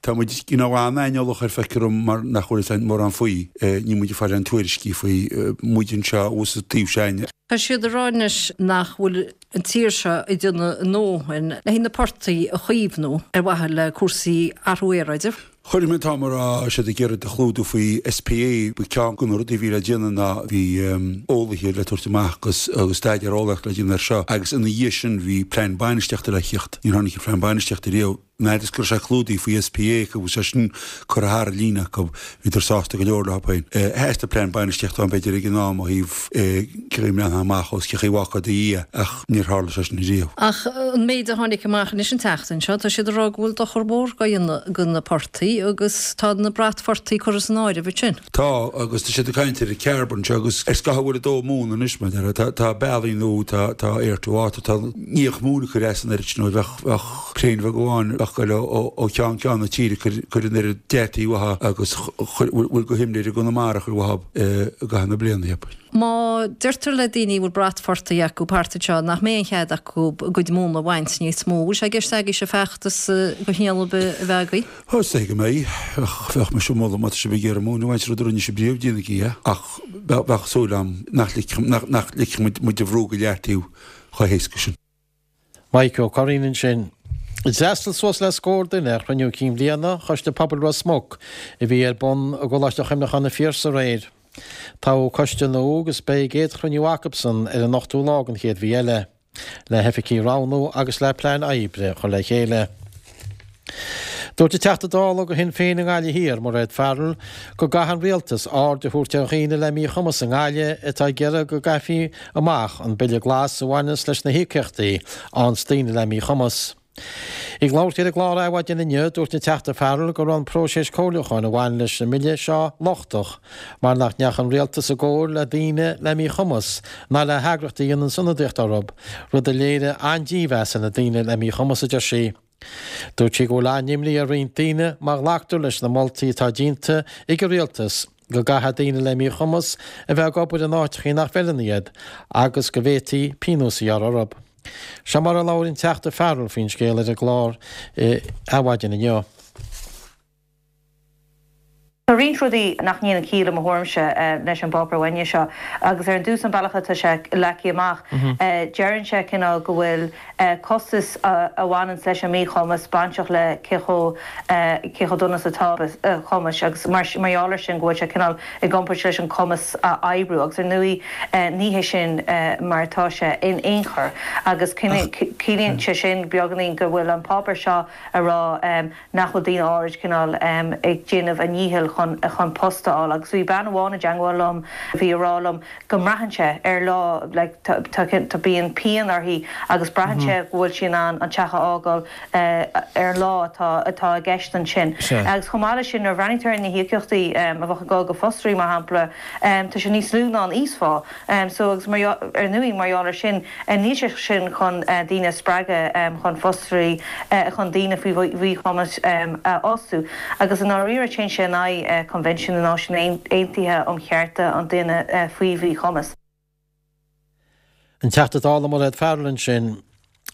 Tá muid you know an-aineolach air feictear dom mar nach bhfuil fhios againn mórán faoi. Níl muid ag fáil aon tuairiscí faoi, muid anseo thuas sa taobh seo. Tá siad ag rá anois nach bhfuil an tír seo ag déanamh a ndóthain le haghaidh na portaigh a chaomhnú ar mhaithe le cúrsaí athrú aeráide. Chuir mé an t-am a raibh siad ag iarraidh a chlúdú faoi SPA, ba ceann de na rudaí a bhí le déanamh ná bhí eolaithe le tabhairt amach agus agus staidéar eolaíoch le déanamh air seo agus ina dhiaidh sin bhí plean bainistíochta le theacht. Níor tháinig an plean bainistíochta riamh. An fhad is go raibh sé clúdaithe faoi SPA go bhfuil sé sin curtha thar an líne acu, bhíodar sásta go leor leo féin. Theastaigh plean bainistíochta ann b'fhéidir ag an am ó thaobh cé chaoi a mbreathnófá amach agus cé chaoi a bhfágfá i do dhiaidh ach níor tharla sé sin riamh. Ach an méid a tháinig amach anois an tseachtain seo, tá siad ag rá go bhfuil dochar mór á dhéanamh do na portaigh agus tá na bratphortaigh curtha san áireamh ansin. Tá, agus tá siad ag caint ar an carbon seo agus ar scaitheamh a bhfuil ag dó móna anois, mar a déarfá. Tá bealaí nua, tá tá air to water, tá ní ach móin a chur as an oiread sin, nó bheadh bheadh craein bheag amháin ag goil ó cheann ceann na tíre ag cur an oiread deataigh uathu agus bhfuil de shimléir i gConamara a chur uathu i gcaitheamh na bliana, cheapfainn. Má deirtear le daoine a bhfuil bratphortaigh acu thart anseo nach mbeidh aon chead acu a gcuid móna a bhaint níos mó, bhfuil sé i gceist agaibhse feachtas de chineál ar bith a bheith agaibh? Ó, is dóigh go mbeidh. Ach bheadh mise ag moladh má tá sibh ag iarraidh móin a bhaint, rud a rinne sibh riamh, déanaigí é. Ach bheadh súil agam nach ligfeadh muid a bhrú go leataobh chomh héasca sin. Mike Ó Curraoin ansin. D'fhreastail suas le scór duine ar chruinniú cinn bhliana Choiste Pobail Ros Muc a bhí ar bun i gColáiste Chuimhneacháin an Phiarsaigh aréir. Toghadh coiste nua agus beidh a gcéad chruinniú acusan ar an ochtú lá den chéad mhí eile, le hoifigigh a roghnú agus le plean oibre a chur le chéile. Dúirt an Teachta Dála do Shinn Féin i nGaillimh Thiar, Mairéad Farrell, go gcaithfidh an Rialtas aird a thabhairt ar dhaoine le míchumas i nGaillimh atá ag iarraidh go gcaithfí amach an Bille Glas a bhaineanns leis na híocaíochtaí a fhaigheanns daoine le míchumas. Ag labhairt di ar an gclár Adhmhaidin inniu, dúirt an Teachta Farrell go raibh an próiseas comhairliúcháin a bhain leis an mbille seo lochtach mar nach ndeachaigh an Rialtas i gcomhairle le daoine le míchumas ná le heagraíochtaí a dhéanann ionadaíocht orthu, rud a léirigh an-dímheas ar na daoine le míchumas, a deir sí. Dúirt sí go bhfuil an-imní ar roinnt daoine má ghlactar leis na moltaí atá déanta ag an Rialtas go gcaithfidh daoine le míchumas a bheith ag obair in áiteachaí nach bhfeileann iad agus go bhféadfaí pionós a ghearradh orthu. Seo mar a labhair an Teachta Farrell faoin scéal ar an gclár Adhmhaidin inniu. Tá roinnt rudaí nach ndéanann ciall i mo thuairimse leis an bpáipéar uainne seo agus ar an dtús an bealach atá sé leagtha amach deireann sé cineál go bhfuil costas a bhaineanns leis an míchumas bainteach le cé chomh cé chomh dona is atá cumas agus mar mar gheall ar sin go bhfuil sé cineál i gcomparáid leis an cumas a oibriú agus ar ndóigh ní hé sin mar atá sé in aon chor agus ciallaíonn sé sin beagáinín go bhfuil an páipéar seo a rá nach bhfuil daoine áirid cineál ag déanamh a ndíchill chun chun post a fháil agus bhí bean amháin i dteangmháil liom a bhí a rá liom go mbraitheann sé ar lá like tá tá tá bíonn pian uirthi agus braitheann sé go bhfuil sí in ann an teach a fhágáil ar an lá atá atá i gceist ansin. Agus chomh maith leis sin nuair a bhreathnaítear ar na híocaíochtaí a bheadh ag dul go fostóirí mar shampla tá sé níos lú ná an íosphá so agus mar ar ndóigh mar gheall ar sin Níl sé sin chun daoine a spreagadh chun fostóirí chun daoine faoi mhíchumas a fhostú agus i ndáiríre téann sé in aghaidh Coinbhinsiún na Náisiún Aontaithe um Chearta an Duine faoi Mhíchumas. An Teachta Dála Mairéad Farrell ansin.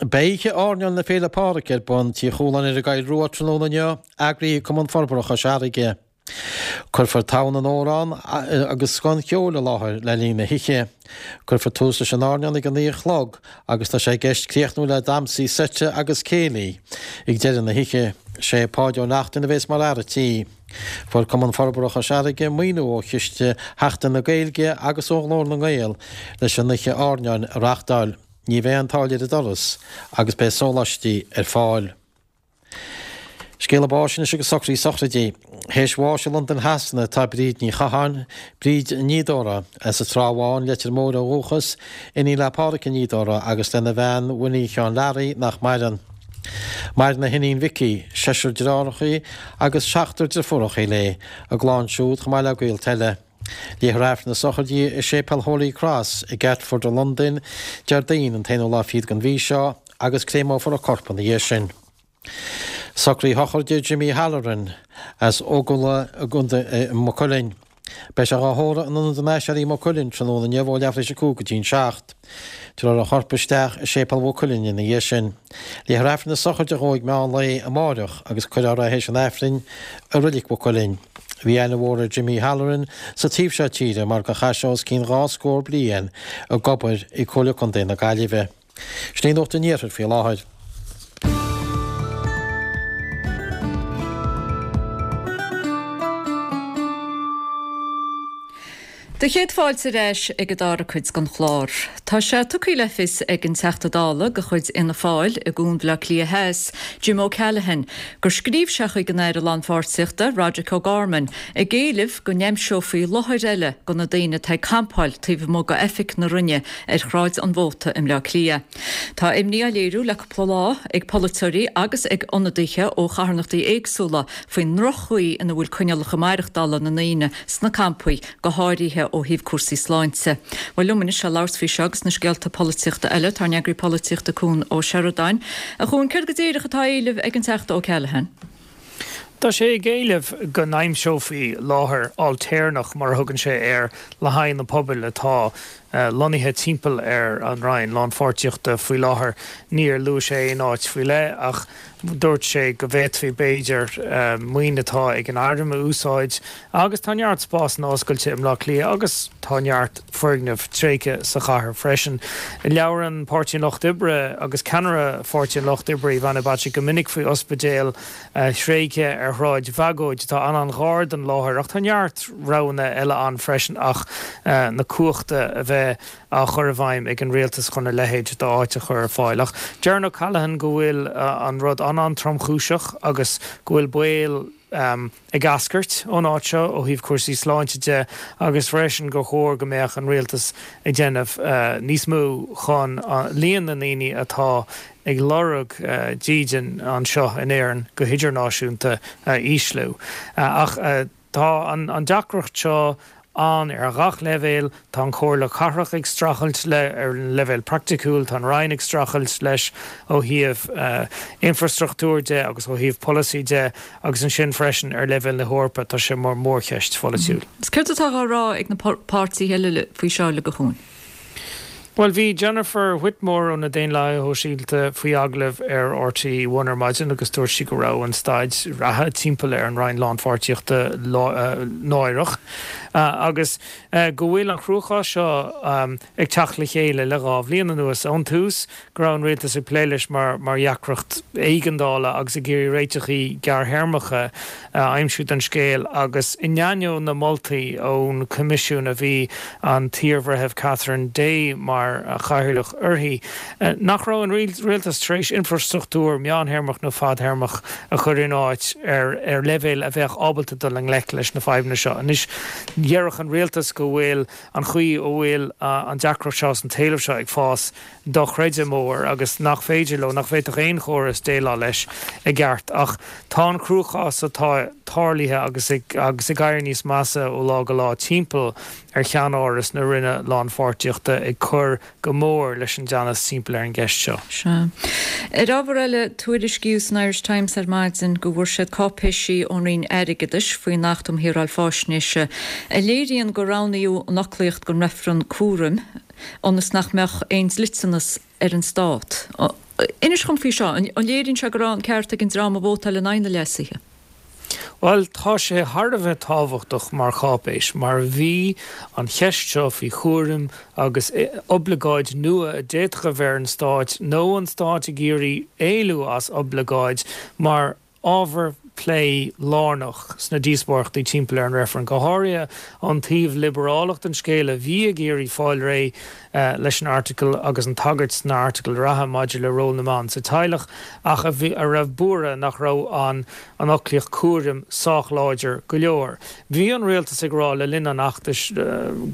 Beidh oíche airneáil na Féile Pádraig ar bun Tigh Chualáin ar an gCoill Rua tráthnóna inniu, eagraithe ag Cumann Forbartha Chois Fharraige. Cuirfear togha na n-amhrán agus scoth an cheoil i láthair le linn na hoíche. Cuirfear tús leis an airneán ag a naoi a chlog agus tá sé i gceist críochnú le damhsaí seite agus céilí ag deireadh na hoíche. Sé Páidí Ó Neachtain a bhéas mar fhear an tí. Fuair Cumann Forbartha Chois Fharraige maoiniú ó Chiste Sheachtain na Gaeilge agus ó Ghlór na nGael leis an oíche airneáin a reáchtáil. Ní bheidh aon táille ar an doras agus beidh sóláistí ar fáil. Scéala báis anois agus socruithe sochraide. Théis bháis i Londain Shasana atá Bríd Ní Chatháin, Bríd Ní Dóra, as an Trá Bháin, Leitir Móir ó dhúchas, iníon le Pádhraic Ó Dóra agus lena bhean Winnie Sheáin Learaí nach maireann. Maireann a hiníon Vicky, seisear deartháireacha agus seachtar deirfiúracha léi, a gclann siúd chomh maith le gaolta eile. Léifear Aifreann na sochraide i Séipéal Holy Cross i gCatford i Londain Déardaoin an t-aonú lá fichead den mhí seo agus créamófar a corp ina dhiaidh sin. Socruithe sochraide Jimmy Halloran as Ógalla i gContae Mhaigh Cuilinn. Beidh sé dhá thórramh in Ionad an Aiséirí i Maigh Cuilinn tráthnóna inniu ó leathuair tar éis a cúig go dtí an seacht. Tabharfar a chorp isteach i Séipéal Mhaigh Cuilinn ina dhiaidh sin. Léifear Aifreann na sochraide dhó ag meán lae amáireach agus cuirfear é théis an Aifrinn i Reilig Mhaigh Cuilinn. Bhí aithne mhór ar Jimmy Halloran sa taobh seo tíre mar gur chaith sé os cionn dhá scór bliain ag obair i Comhairle Contae na Gaillimhe. Sin í Nuacht an Iarthair faoi láthair. Do chéad fáilte ar ais ag an dara cuid den chlár. Tá sé tugtha le fios ag an Teachta Dála de chuid Fhianna Fáil i gCuan Bhaile Átha Cliath Theas, Jim O'Callaghan, gur scríobh sé chuig an Aire Lánpháirtíochta, Roderic O'Gorman, ag éileamh go n-aimseofaí láthair eile do na daoine atá ag campáil taobh amuigh d'oifig na Roinne ar Shráid an Mhóta i mBleá Cliath. Tá imní á léiriú le cúpla lá ag polaiteoirí agus ag ionadaithe ó charthanachtaí éagsúla faoin ndroch-chaoi ina bhfuil coinníollacha maireachtála na ndaoine sna campaí, go háirithe ó thaobh cúrsaí sláinte. Bhuel liom anois le labhairt faoi seo agus na scéalta polaitíochta eile, tá ár n-eagraí polaitíochta Cuan Ó Seireadáin. A Chuain, céard go díreach atá á éileamh ag an Teachta O'Callaghan? Tá sé ag éileamh go n-aimseofaí láthair ailtéarnach, mar a thugann sé air, le haghaidh na pobail atá lonnaithe timpeall ar an Roinn Lánpháirtíochta faoi láthair. Níor luaigh sé aon áit faoi leith ach dúirt sé go bhféadfaí, b'fhéidir, maoin atá ag an Airm a úsáid agus tá neart spásanna oscailte i mBleá Cliath agus tá neart foirgneamh tréigthe sa chathair freisin. Labhrann Páirtí an Lucht Oibre agus ceannaire Pháirtí an Lucht Oibre Ivana Bacik go minic faoi ospidéal thréigthe ar Shráid Bhagóid atá an-an-ghar don láthair ach tá neart roghanna eile ann freisin ach na cumhachta a bheith á chur i bhfeidhm ag an rialtas chun a leithéid d'áit a chur ar fáil. Ach deireann O'Callaghan go bhfuil an rud an-an-tromchúiseach agus go bhfuil baol ag eascairt ón áit seo ó thaobh cúrsaí sláinte de agus freisin gur chóir go mbeadh an rialtas ag déanamh níos mó chun líon na ndaoine atá ag lorg dídean anseo in Éirinn go hidirnáisiúnta a ísliú. Ach tá an deacracht seo ann ar ghach leibhéal. Tá an Chomhairle Cathrach ag streachailt leis ar an leibhéal praiticiúil, tá an Roinn ag streachailt leis ó thaobh infrastruchtúir de agus ó thaobh polasaí de agus ansin freisin ar leibhéal na hEorpa tá sé mar mhórcheist pholaitiúil. Is céard atá á rá ag na páirtithe eile faoi seo uilig, a Chuain? Bhuel, bhí Jennifer Whitmore ó na Daonlathaithe Shóisialta faoi agallamh ar RTÉ One ar maidin agus dúirt sí go raibh an staid reatha timpeall ar an Roinn Lánpháirtíochta náireach agus go bhfuil an cruachás seo ag teacht le chéile le dhá bhliain anuas. Ón tús go raibh an rialtas ag plé leis mar dheacracht éigeandála agus ag iarraidh réiteachaí gearrthéarmacha a aimsiú don scéal agus in ainneoin na moltaí ón Choimisiún a bhí an t-iarbhreitheamh Catherine Day mar chathaoirleach uirthi, nach raibh an rialtas tar éis infrastruchtúr meántéarmach nó fadtéarmach a chur in áit ar ar leibhéal a bheadh ábalta dul i ngleic leis na fadhbanna seo. Anois, déarfadh an rialtas go bhfuil an chaoi a bhfuil an deacracht seo is an t-éileamh seo ag fás dochreidte mór agus nach féidir leo, nach bhféadfadh aon chóras déileáil leis i gceart. Ach tá an cruachás atá tarlaithe agus ag agus ag éirí níos measa ó lá go lá timpeall ar cheannáras na Roinne Lánpháirtíochta ag cur go mór leis an dteannas timpeall ar an gceist seo. Sea. Ar ábhar eile, tuairiscíodh san Irish Times ar maidin go bhfuair siad cáipéisí ón Roinn Airgeadais faoin Acht um Shaoráil Faisnéise a léiríonn gur roghnaíodh an fhoclaíocht don reifreann cúraim ionas nach mbeadh aon dliteanas ar an Stát. Inis dhom faoi seo, an léiríonn sé go raibh an ceart ag an dream a vótáil in aghaidh na leasuithe? Bhuel, tá sé thar a bheith tábhachtach mar cháipéis, mar bhí an cheist seo faoi chúram agus oibleagáid nua a d'fhéadfadh a bheith ar an Stát, nó an Stát ag iarraidh éalú as oibleagáid, mar ábhar plé lárnach sna díospóireachtaí timpeall ar an reifreann, go háirithe an taobh liobrálach den scéal a bhí ag iarraidh fáil réidh leis an Airteagal agus an tagairt san Airteagal reatha maidir le ról na mban sa teaghlach ach a bhí a raibh buartha nach raibh an an fhoclaíocht cúraim sách láidir go leor. Bhí an rialtas ag rá le linn an fheachtais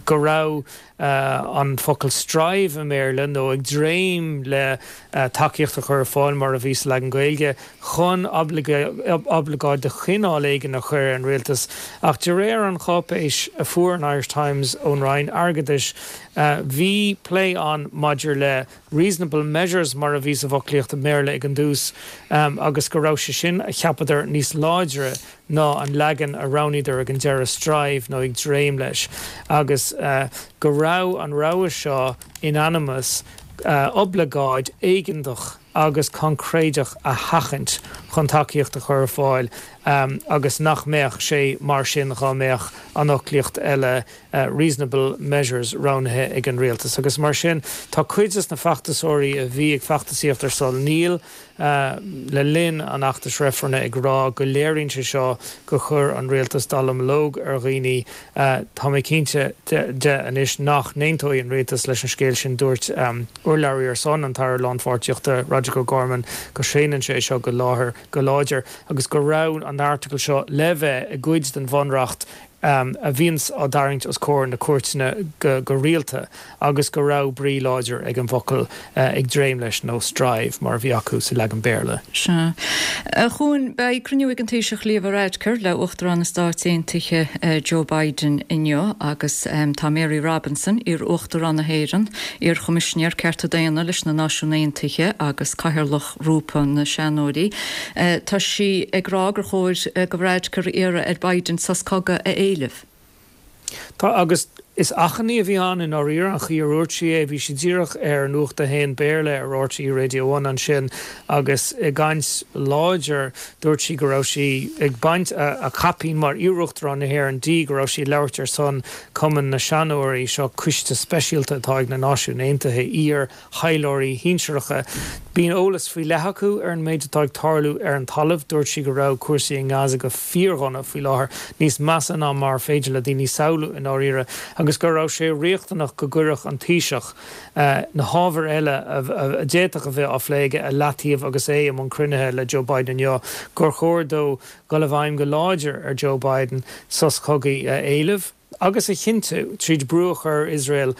go raibh an focal strive i mBéarla nó ag dréim le tacaíocht a chur ar fáil mar a bhí sa leagan Gaeilge chun oibleagáid de chineál éigin a chur ar an rialtas. Ach de réir an cháipéis a fuair an Irish Times ón Roinn Airgeadais bhí plé ann maidir le reasonable measures mar a bhí sa bhfoclaíocht i mBéarla ag an dtús agus go raibh sé sin a cheapadar níos láidre ná an leagan a roghnaíodar ag an deireadh strive nó ag dréim leis agus go raibh an rogha seo in ainm is oibleagáid éigeantach agus coincréideach a sheachaint chun tacaíocht a chur ar fáil agus nach mbeadh sé mar sin dhá mbeadh an fhoclaíocht eile reasonable measures roghnaithe ag an rialtas. Agus mar sin tá cuid de na feachtasóirí a bhí ag feachtasaíocht ar son Níl le linn an fheachtais reifrinn ag rá go léiríonn sé seo gur chuir an rialtas dallamullóg ar dhaoine. Tá mé cinnte de anois nach n-aontóidh an rialtas leis an scéal sin, dúirt urlabhraí ar son an tAire Lánpháirtíochta Roderic O'Gorman go séanann sé seo go láthair go láidir agus go raibh an Airteagal seo le bheith i gcuid den Bhunreacht a bhíonns á dtarraingt os comhair na cúirteanna go rialta agus go raibh brí láidir ag an bhfocal ag dréim leis nó strive mar a bhí acu sa leagan Béarla. Sea. A Chuain, beidh cruinniú ag an Taoiseach Leo Varadkar le Uachtarán na Stáit Aontaithe Joe Biden inniu agus tá Mary Robinson, iar-Uachtarán na hÉireann, iar-Choimisinéir Cearta Daonna leis na Náisiúin Aontaithe agus Cathaoirleach Ghrúpa na Seanóirí, tá sí ag rá gur chóir do Varadkar iarraidh ar Biden sos cogaidh a éileamh. Tá, agus is achainí a bhí ann i ndáiríre, an chaoi a ndúirt sí é. Bhí sí díreach ar Nuacht a hAon Béarla ar RTÉ Radio One ansin agus i gcaint láidir dúirt sí go raibh sí ag baint a caipín mar iarUachtarán na hÉireann di, go raibh sí ag labhairt ar son Cumann na Seanóirí, seo coiste speisialta atá ag na Náisiúin Aontaithe, iar thaidhleoirí shinsearacha. Bíonn eolas faoi leith acu ar an méid atá ag tarlú ar an talamh. Dúirt sí go raibh cúrsaí i nGaza go fíordhona faoi láthair, níos measa ná mar féidir le daoine samhlú i ndáiríre, agus go raibh sé riachtanach go gcuirfeadh an Taoiseach na hábhair eile a d'fhéadfadh a bheith á phlé aige i leataobh agus é i mbun cruinnithe le Joe Biden inniu, gur chóir dó dul i bhfeidhm go láidir ar Joe Biden sos cogaidh a éileamh. agus a chinntiú, tríd brú a chur ar Iosrael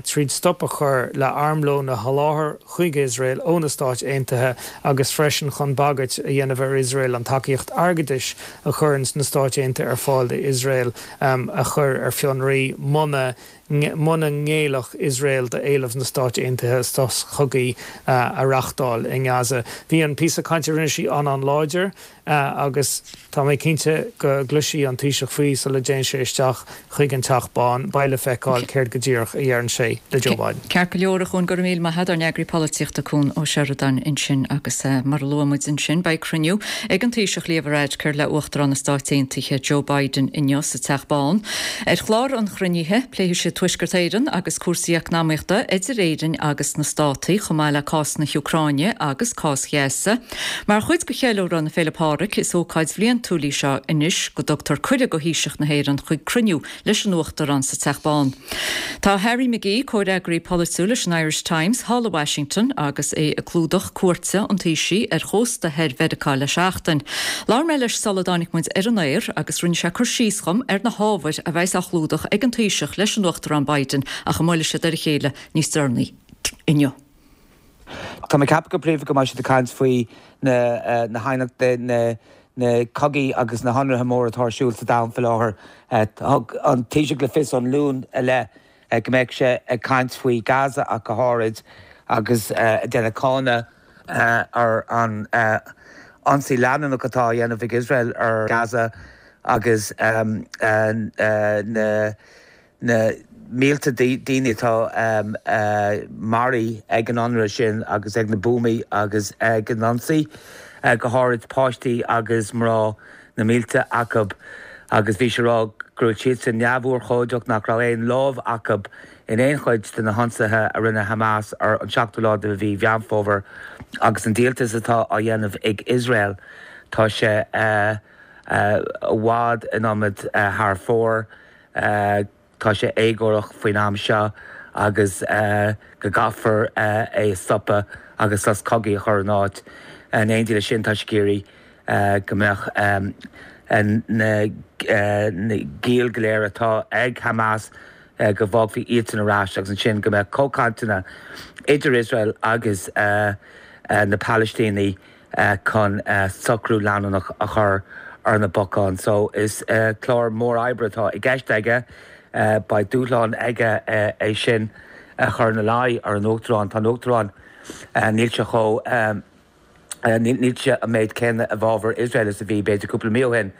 tríd stop a chur le armlón a sholáthar chuig Iosrael ó na Stáit Aontaithe agus freisin chun bagairt a dhéanamh ar Iosrael an tacaíocht airgeadais a chuireann na Stáit Aontaithe ar fáil d'Iosrael a chur ar fionraí muna muna ngéillfeadh Iosrael d'éileamh na Stáit Aontaithe sos cogaidh a reáchtáil i nGaza. Bhí an píosa cainte a rinne sí an-an-láidir. Agus tá mé cinnte go gcloisfidh an Taoiseach faoi sula dtéann sé isteach chuig an Teach Bán. Beidh le feiceáil céard go díreach a dheireann sé le Joe Biden. Ceart go leor, a Chuain, go raibh míle maith agat, ár n-eagraí polaitíochta Cuan Ó Seireadáin ansin agus mar a luaigh muid ansin beidh cruinniú ag an Taoiseach Leo Varadkar le Uachtarán na Stáit Aontaithe Joe Biden inniu sa Teach Bán. Ar chlár an chruinnithe pléifidh siad Tuaisceart Éireann agus cúrsaí eacnamaíochta idir Éirinn agus na Státaí chomh maith le cás na hÚcráine agus cás Ghaza. Mar chuid de cheiliúradh na Féile Pádraig, is ócáid bhliantúil í seo anois go dtugtar cuireadh do Thaoiseach na hÉireann chuig cruinniú leis an Uachtarán sa Teach Bán. Tá Harry McGee, comhfhreagraí polaitiúil leis an Irish Times, thall i Washington agus é ag clúdach cuairte an Taoisigh ar chósta thoir Mheiriceá le seachtain. Labhair mé leis sula dtáinig muid ar an aer agus rinne sé cur síos dhom ar na hábhair a bheas á chlúdach ag an Taoiseach leis an Uachtarán Biden ach a mbuailfidh siad ar a chéile níos deireanaí inniu. Tá mé ag ceapadh go príomha go mbeidh siad ag caint faoi na na haighneachtaí, na na cogaí agus na hionraithe móra atá ar siúl sa domhan faoi láthair. Thug an Taoiseach le fios ón Luan i leith go mbeadh sé ag caint faoi Gaza ach go háirid agus ag déanamh cáineadh ar an ionsaí leanúnach atá á dhéanamh ag Iosrael ar Gaza agus na na mílte daoine atá maraithe ag an ionradh sin agus ag na buamaí agus ag an ionsaí, go háirid páistí agus mná, na mílte acu, agus bhí sé ag rá go raibh siadsan neamhurchóideach, nach raibh aon lámh acu in aon chuid de na hionsaithe a rinne Hamas ar an seachtú lá de mhí Mheán Fómhair agus an díoltas atá á dhéanamh ag Iosrael. Tá sé i bhfad an iomad thar fóir. Tá sé éagórach faoin am seo agus go gcaithfear é a stopadh agus sos cogaidh a chur in áit. In éindí leis sin tá sé ag iarraidh go mbeadh na giall go léir atá ag Hamas go bhfágfaí iadsan ar ais agus ansin go mbeadh comhchainteanna idir Iosrael agus na Palaistínigh chun socrú leanúnach a chur ar na bacáin. So is clár mór oibre atá i gceist aige. Beidh dúshlán aige é sin a chur ina luí ar an Uachtarán. Tá an Uachtarán, níl sé chomh, níl sé an méid céanna i bhfabhar Iosrael is a bhí b'fhéidir cúpla mí ó shin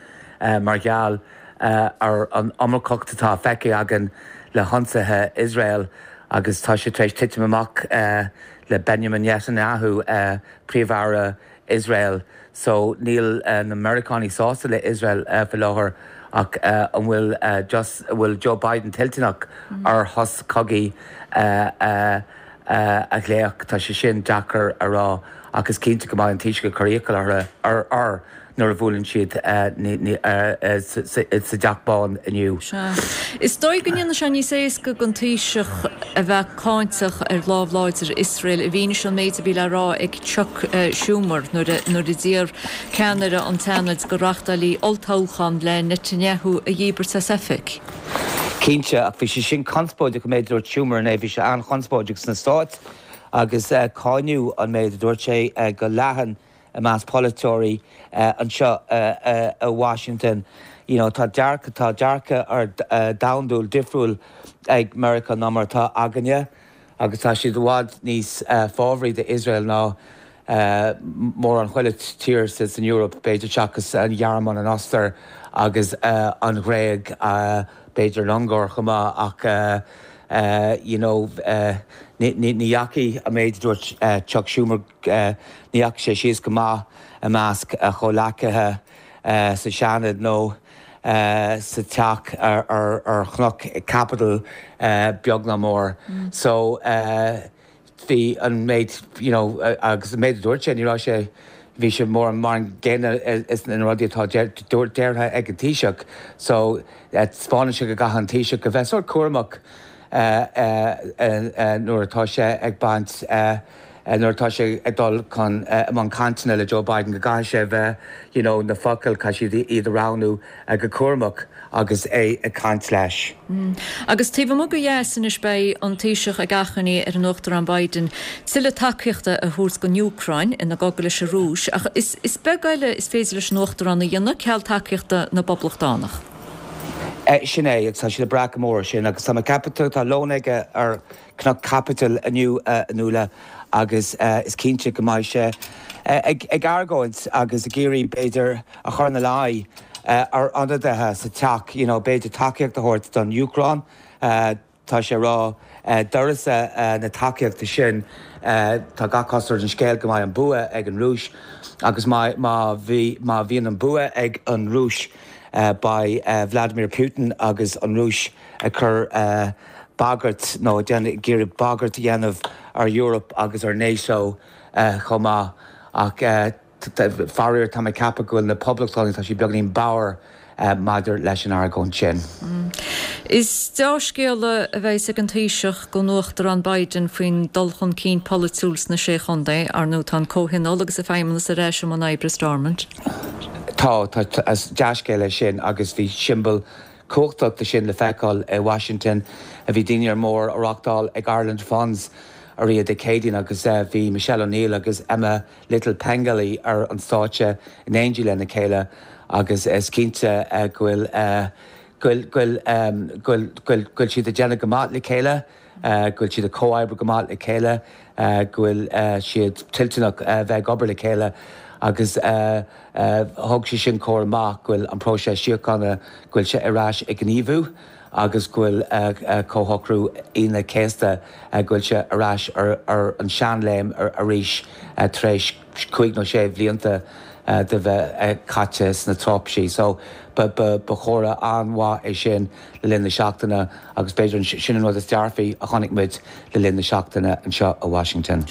mar gheall ar an iomarcacht atá feicthe againn le hionsaithe Iosrael agus tá sé tar éis titim amach le Benjamin Netanyahu, Príomh-Aire Iosrael. So níl na Meiriceánaigh sásta le Iosrael faoi láthair ach an bhfuil just, an bhfuil Joe Biden toilteanach ar shos cogaidh a ghlaoch? Tá sé sin deacair a rá ach is cinnte go mbeidh an Taoiseach ag cur iachall air nuair a bhuaileann siad sa dTeach Bán inniu. Sea. Is dóigh go ndéanfaidh sé níos éasca don Taoiseach a bheith cáinteach ar lámh láidir Iosrael i bhfianaise an méid a bhí le rá ag Chuck Schumer nuair a d'iarr ceannaire an tSeanaid go reáchtálfaí olltoghchán le Netanyahu a dhíbirt as oifig. Cinnte, ach bhí sé sin conspóideach an méid a dúirt Schumer inné, bhí sé an-chonspóideach sna Stáit agus cáineadh an méid a dúirt sé go leathan i measc polaiteoirí anseo i Washington. You know, tá dearcadh, tá dearcadh ar domhandúil difriúil ag Meiriceá ná mar atá againne agus tá siad i bhfad níos fábhraí d'Iosrael ná mórán chuile tír san Eoraip, b'fhéidir, seachas an Ghearmáin, an Ostair agus an Ghréig, b'fhéidir an Ungáir chomh maith ach you know, ní dheachaigh an méid a dúirt Chuck Schumer, ní dheachaigh sé síos go maith i measc a chomhleacaithe sa Seanad nó sa teach ar Chnoc Capitol beag ná mór. So bhí an méid, you know, agus an méid a dúirt sé, ní raibh sé, bhí sé mórán mar an gcéanna is na rudaí atá deirthe ag an Taoiseach. So taispeánann sé go gcaithfidh an Taoiseach a bheith sórt cúramach nuair atá sé ag baint, nuair atá sé ag dul chun i mbun cainteanna le Joe Biden, go gcaithfidh sé a bheith, you know, na focail, caithfidh sé iad a roghnú go cúramach agus é ag caint leis. Agus taobh amuigh ó dheas anois beidh an Taoiseach ag achainí ar an Uachtarán Biden tuilleadh tacaíochta a thabhairt don Úcráin ina gcogadh leis an Rúis ach is beag eile is féidir leis an Uachtarán a dhéanamh ceal tacaíochta na bPoblachtánach. Sin é, agus tá siad ag brath go mór air sin agus tá mé ag ceapadh, tá lón aige ar Chnoc Caipitil inniu a Nuala agus is cinnte go mbeidh sé ag argóint agus ag iarraidh b'fhéidir a chur ina luí ar ionadaithe sa teach, you know, b'fhéidir tacaíocht a thabhairt don Úcráin. Tá sé ag rá d'uireasa na tacaíochta sin, tá gach cosúlacht ar an scéal go mbeidh an bua ag an Rúis agus má má bhíonn an bua ag an Rúis beidh Vladimir Putin agus an Rúis ag cur bagairt nó ag iarraidh bagairt a dhéanamh ar Eoraip agus ar NATO chomh maith. Ach faraor tá mé ag ceapadh go bhfuil na Poblachtánaigh, tá siad beagáinín bodhar maidir leis an argóint sin. Is dea-scéala a bheas ag an Taoiseach don Uachtarán Biden faoin dul chun cinn polaitiúil sna Sé Chontae. Ar ndóigh tá an Comhthionól agus an Feidhmeannas ar ais i mbun oibre i Stormont. Tá, tá, is dea-scéal é sin agus bhí siombail cumhachtach de sin le feiceáil i Washington. Bhí dinnéar mór á reáchtáil ag Ireland Funds arú Dé Céadaoin agus bhí Michelle O'Neill agus Emma Little Pengelly ar an stáitse in éindí lena chéile agus is cinnte go bhfuil go bhfuil go bhfuil go bhfuil siad ag déanamh go maith le chéile, go bhfuil siad ag comhoibriú go maith le chéile, go bhfuil siad toilteanach bheith ag obair le chéile agus thug sé sin comhartha maith go bhfuil an próiseas síochána, go bhfuil sé ar ais ag gníomhú agus go bhfuil Comhshocrú Aoine an Chéasta, go bhfuil sé ar ais ar an seanléim arís tar éis cúig nó sé bhlianta de bheith caite sna traipisí. So ba chomhartha an-mhaith é sin le linn na seachtaine agus b'fhéidir sin an rud is dearfaí a chonaic muid le linn na seachtaine anseo i Washington.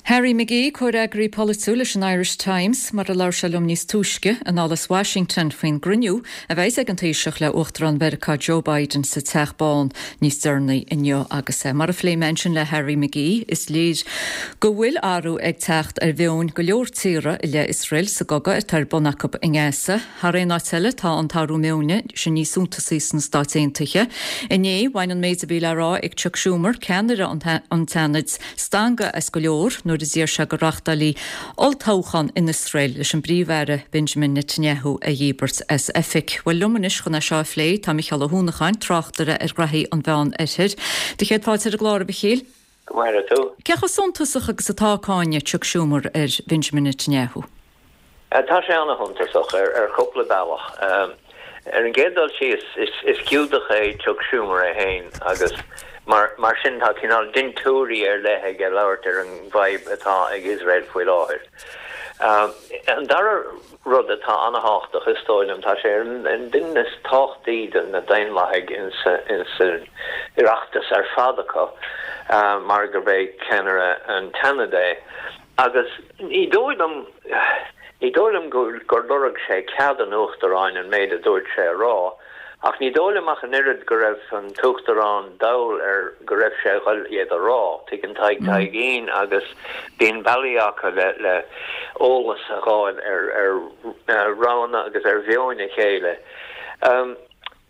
Harry McGee, comhfhreagraí polaitiúil leis an Irish Times, mar a labhair sé liom níos túisce, anall as Washington faoin gcruinniú a bheidh ag an Taoiseach le Uachtarán Mheiriceá Joe Biden sa Teach Bán níos deireanaí inniu agus mar a phléigh mé ansin le Harry McGee, is léir go bhfuil athrú ag teacht ar mheon go leor tíortha i leith Iosrael sa gcogadh atá ar bun acu i nGaza. Thar aon áit eile tá an t-athrú meoin sin níos suntasaí sna Stáit Aontaithe. Inné, bhain an méid a bhí le rá ag Chuck Schumer, ceannaire an tSeanaid, stangadh as go leor nuair a d'iarr sé go reáchtálfaí olltoghchán in Iosrael leis an bPríomh-Aire Benjamin Netanyahu a dhíbirt as oifig. Bhuel, liom anois chun é seo a phlé tá Micheál Ó hUanacháin, tráchtaire ar ghraithí an Mheán Oirthir. Do chéad fáilte ar an gclár, a Mhichíl. Go maire tú. Cé chomh suntasach agus atá cáineadh Chuck Schumer ar Benjamin Netanyahu? Tá sé ana-shuntasach ar chúpla bealach. Ar an gcéad dul síos, is Giúdach é Chuck Schumer é féin agus mar sin tá cineál dintiúirí ar leith aige labhairt ar an bhfadhb atá ag Iosrael faoi láthair. An dara rud atá ana-thábhachtach, is dóigh liom, tá sé ar an duine is tábhachtaí de na Daonlathaigh insan Oireachtas ar fad acu mar gurb é ceannaire an tSeanaid é. Agus ní dóigh liom, ní dóigh liom gur lorg sé cead an Uachtaráin an méid a dúirt sé a rá, ach ní dóigh liom ach an oiread go raibh an tUachtarán dall ar go raibh sé a ghoil iad a rá. Tuigeann Tadhg Taidhgín agus bíonn bealaí acu le le eolas a dh'fháil ar ar roghanna agus ar mheoin a chéile.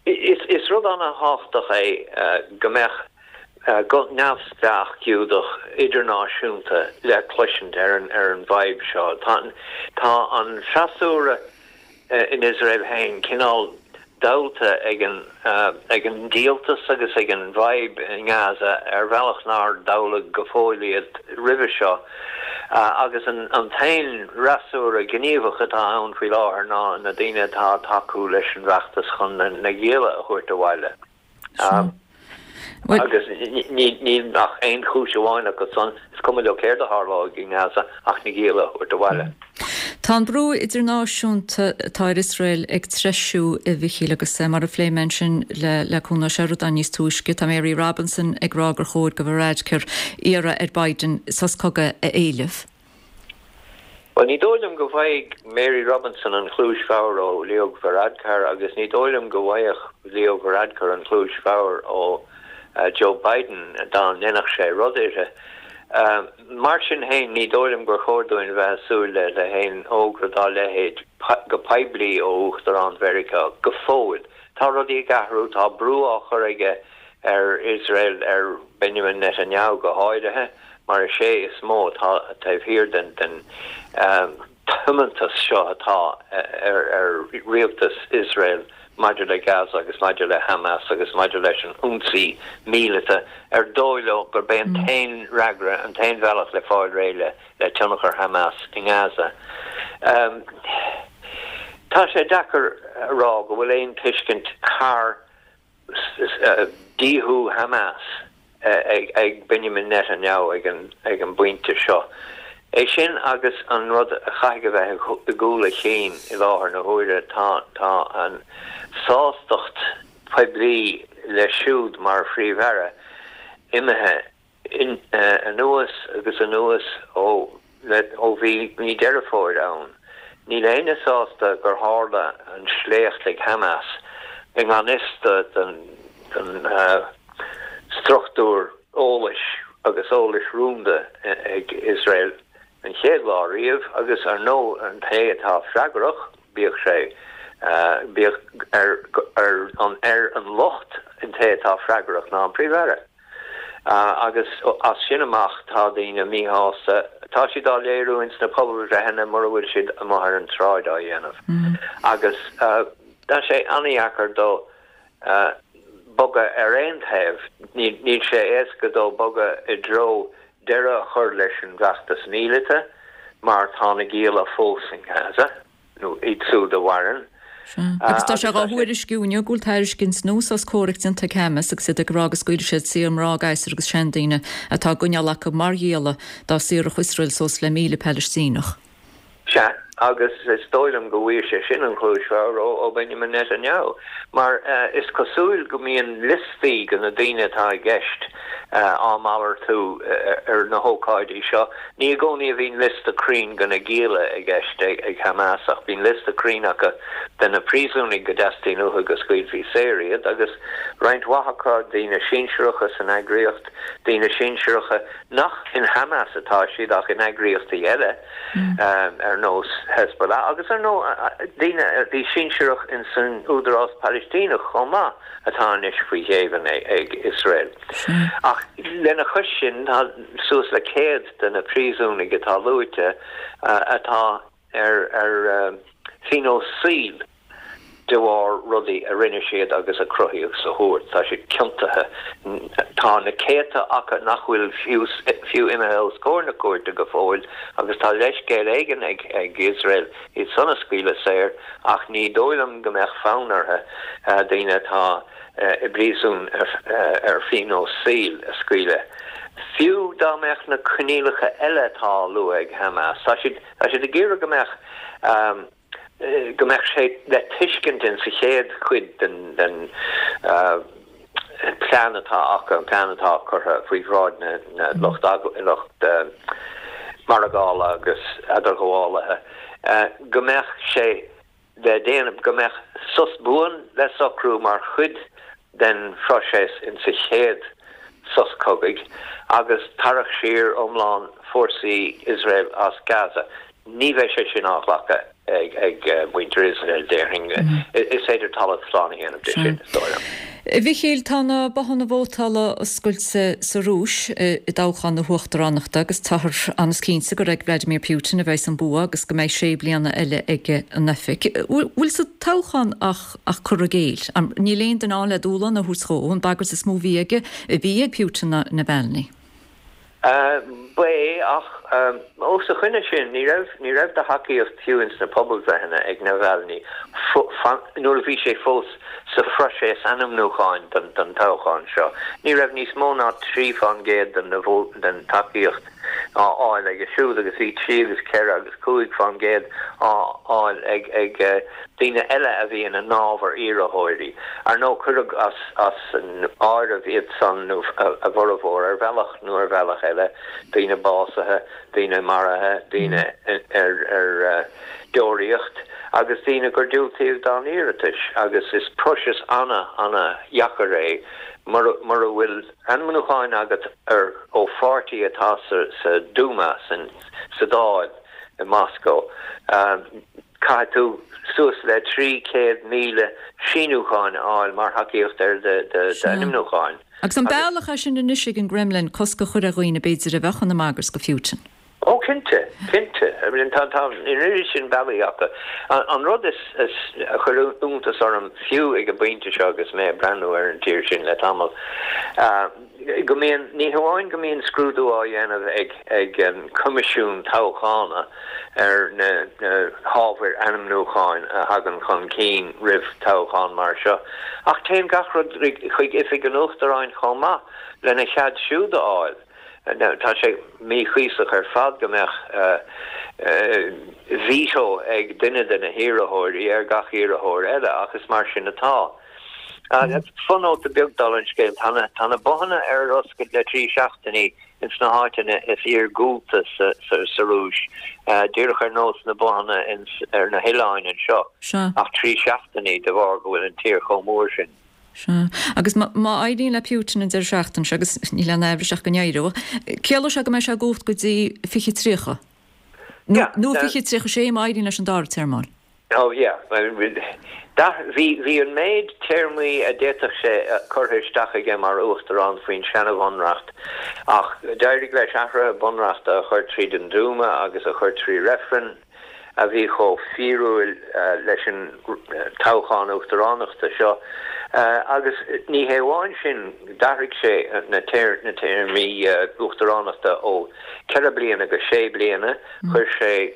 Is rud ana-thábhachtach é go mbeadh guth neamhspleách Giúdach idirnáisiúnta le cloisint ar an bhfadhb seo. Tá an freasúra in Iosrael féin cineál dallta ag an díoltas agus ag an bhfadhb i nGaza ar bhealach nár dalladh go fóill iad roimhe seo. Agus an t-aon fhreasúra gníomhach atá ann faoi láthair ná na daoine atá ag tacú leis an bhfeachtas chun na gialla a thabhairt abhaile. Agus níl ach aon chúis amháin acu san, is cuma leo céard a tharlóidh i nGaza ach na gialla a thabhairt abhaile. Tá an brú idirnáisiúnta atá ar Iosrael ag treisiú, a Mhichíl, agus mar a phléigh mé ansin le Cuan Ó Seireadáin níos túisce, tá Mary Robinson ag rá gur chóir do Varadkar iarraidh ar Biden sos cogaidh a éileamh. Bhuel, ní dóigh liom go bhfaighidh Mary Robinson an chluais bhodhar ó Leo Varadkar agus ní dóigh liom go bhfaigheadh Leo Varadkar an chluais bhodhar ó Joe Biden dá ndéanfadh sé rud uirthi. Mar sin féin, ní dóigh liom gur chóir dúinn a bheith ag súil le haon fhógra dá leithéid go poiblí ó Uachtarán Mheiriceá go fóill. Tá rudaí ag athrú, tá brú á chur aige ar Iosrael, ar Benjamin Netanyahu go háirithe, mar is é is mó atá taobh thiar den tiomantas seo atá ar rialtas Iosrael maidir le Gaza agus maidir le Hamas agus maidir leis an ionsaí míleata ar dóigh leo gurb é an t-aon fhreagra, an t-aon bhealach le fáil réidh le tionchar Hamas i nGaza. Tá sé deacair a rá go bhfuil aon tuiscint thar díothú Hamas ag Benjamin Netanyahu ag an bpointe seo. É sin agus an rud a chaithfidh a bheith i gcúl a chinn i láthair na huaire, tá tá an sástacht poiblí leis siúd mar Phríomh-Aire imithe anuas agus anuas ó ó bhí mí Deireadh Fómhair ann. Níl éinne sásta gur tharla an sléacht ag Hamas i ngan fhios don struchtúr eolais agus eolais rúnda ag Iosrael an chéad lá riamh agus ar ndóigh an té atá freagrach, bíodh sé, bíodh ar an ar an locht an té atá freagrach ná an Príomh-Aire. Agus as sin amach tá daoine míshásta. Tá siad á léiriú ins na pobalbhreitheanna mura bhfuil siad amuigh ar an tsráid á dhéanamh. Agus tá sé an-dheacair dó bogadh ar aon taobh. Níl sé éasca dó bogadh i dtreo deireadh a chur leis an bhfeachtas míleata mar tá na gialla fós in Gaza. nó iad siúd a mhaireann. Sea. Agus tá sé dhá thuairisciú inniu go bhfuil tairiscint nua sos comhraic déanta ag Hamas agus iad ag rá go scaoilfidh siad saor mná, gasúir agus seandaoine atá á gcoinneáil acu mar ghialla dá saorfadh Iosrael suas le míle Palaistíneach. Sea. agus is dóigh liom go bhfuair sé sin an chluais bhodhar ó Benjamin Netanyahu, mar is cosúil go mbíonn liostaí de na daoine atá i gceist á malartú ar na hócáidí seo. Ní i gcónaí a bhíonn liosta cruinn de na gialla i gceist ag Hamas ach bíonn liosta cruinn acu de na príosúnaigh go dteastaíonn uathu go scaoilfí saor iad agus roinnt mhaith acu, daoine sinsearacha san eagraíocht, daoine sinsearacha nach in Hamas atá siad ach in eagraíochtaí eile ar nós Hezbollah agus ar ndóigh daoine a bhí sinsearach in san Údarás Palaistíneach chomh maith atá anois faoi ghéibheann ag Iosrael. Ach lena chois sin tá suas le céad de na príosúnaigh atá luaite atá ar ar phionós saoil de bharr rudaí a rinne siad agus a cruthaíodh sa chúirt. Tá siad ciontaithe. Tá na céadta acu nach bhfuil fiú fiú imithe os comhair na cúirte go fóill agus tá leithscéal éigin ag ag Iosrael iad san a scaoileadh saor ach ní dóigh liom go mbeadh fonn orthu daoine atá i bpríosún ar phionós saoil a scaoileadh. Fiú dá mbeadh na coinníollacha eile atá á lua ag Hamas, tá siad tá siad ag iarraidh go mbeadh go mbeadh sé le tuiscint in sa chéad chuid den den plean atá acu, an plean atá curtha faoi bhráid na na lucht lucht margála agus eadarghabhálaithe, go mbeadh sé le déanamh go mbeadh sos buan le socrú mar chuid den phroiséas in sa chéad sos cogaidh agus tarrac siar iomlán fórsaí Iosrael as Gaza. Ní bheidh sé sin á ghlacadh ag muintir Iosrael, déarfainn. Is féidir talamh slán a dhéanamh de sin, is dóigh liom. A Mhichíl, tá na bothanna vótála oscailte sa Rúis i dtoghchán na huachtaránachta agus táthar an-chinnte gur ag Vladimir Putin a bheas an bua agus go mbeidh sé bliana eile aige in oifig. Bhfuil sa toghchán ach ach cur i gcéill? Níl aon duine ann le dúshlán a thabhairt dó, an bagairt is mó a bhí aige, a bhí ag Putin ná Navalny. Ba é, ach os a choinne sin, ní raibh, ní raibh de thacaíocht fiú ins na pobalbhreitheanna ag Navalny nuair a bhí sé fós sa phroiséas ainmniúcháin don don toghchán seo. Ní raibh níos mó ná trí fán gcéad den den tacaíocht á fháil aige siúd agus bhí trí agus ceithre agus cúig fán gcéad á fháil ag ag daoine eile a bhí ina n-ábhar iarrthóirí. Ar ndóigh, cuireadh as as an áireamh iad san, nó a bhformhór, ar bhealach nó ar bhealach eile, daoine básaithe, daoine maraithe, daoine ar ar deoraíocht agus daoine gur diúltaíodh dá n-iarratais agus is próiseas ana, ana-dheacair é mura mura bhfuil ainmniúcháin agat ar ó pháirtí atá sa sa Duma, san sa Dáil i Moscó. Caithfidh tú suas le trí chéad míle síniúcháin a fháil mar thacaíocht ar d'ainmniúcháin. Agus an bealach é sin anois ag an gCremlin cosc a chur ar dhaoine b'fhéidir a bheadh ina mbagairt do Phutin? Ó cinnte, cinnte. I mean tá tá an oiread sin bealaí acu. An rud is is a chuir iontas orm fiú ag an bpointe seo agus mé ag breathnú ar an tír sin le tamall, go mbíonn, ní hamháin go mbíonn scrúdú á dhéanamh ag ag an Coimisiún Toghchána ar na hábhair ainmniúcháin a thagann chun cinn roimh toghchán mar seo, ach téann gach rud chuig Oifig an Uachtaráin chomh maith lena chead siúd a fháil. Tá sé míchuíosach ar fad go mbeadh veto ag duine de na hiarrthóirí ar gach iarrthóir eile, ach is mar sin atá. Fonóta beag dála an scéil, tá na tá na bothanna ar oscailt le trí seachtainí ins na háiteanna is iargúlta sa sa Rúis, díreach ar nós na bothanna ins ar na hoileáin anseo, ach trí seachtainí de bharr go bhfuil an tír chomh mór sin. Sea. Agus má má éiríonn le Putin an deireadh seachtaine seo, agus níl aon aimhreas ach go n-éireoidh, ciallóidh sé go mbeidh sé i gcumhacht go dtí fiche tríocha? Nó nó fiche tríocha sé má éiríonn leis an dara téarma a fháil? Oh yeah. Bhí bhí an méid téarmaí a d'fhéadfadh sé curtha isteach aige mar uachtarán faoin seana-bhunreacht ach d'éirigh leis athruithe bunreachta a chur tríd an Duma agus a chur trí reifreann a bhí chomh fíorúil leis an toghchán uachtaránachta seo. Agus ní hé amháin sin, d'athraigh sé na téarmaí uachtaránachta ó ceithre bliana go sé bliana, chuir sé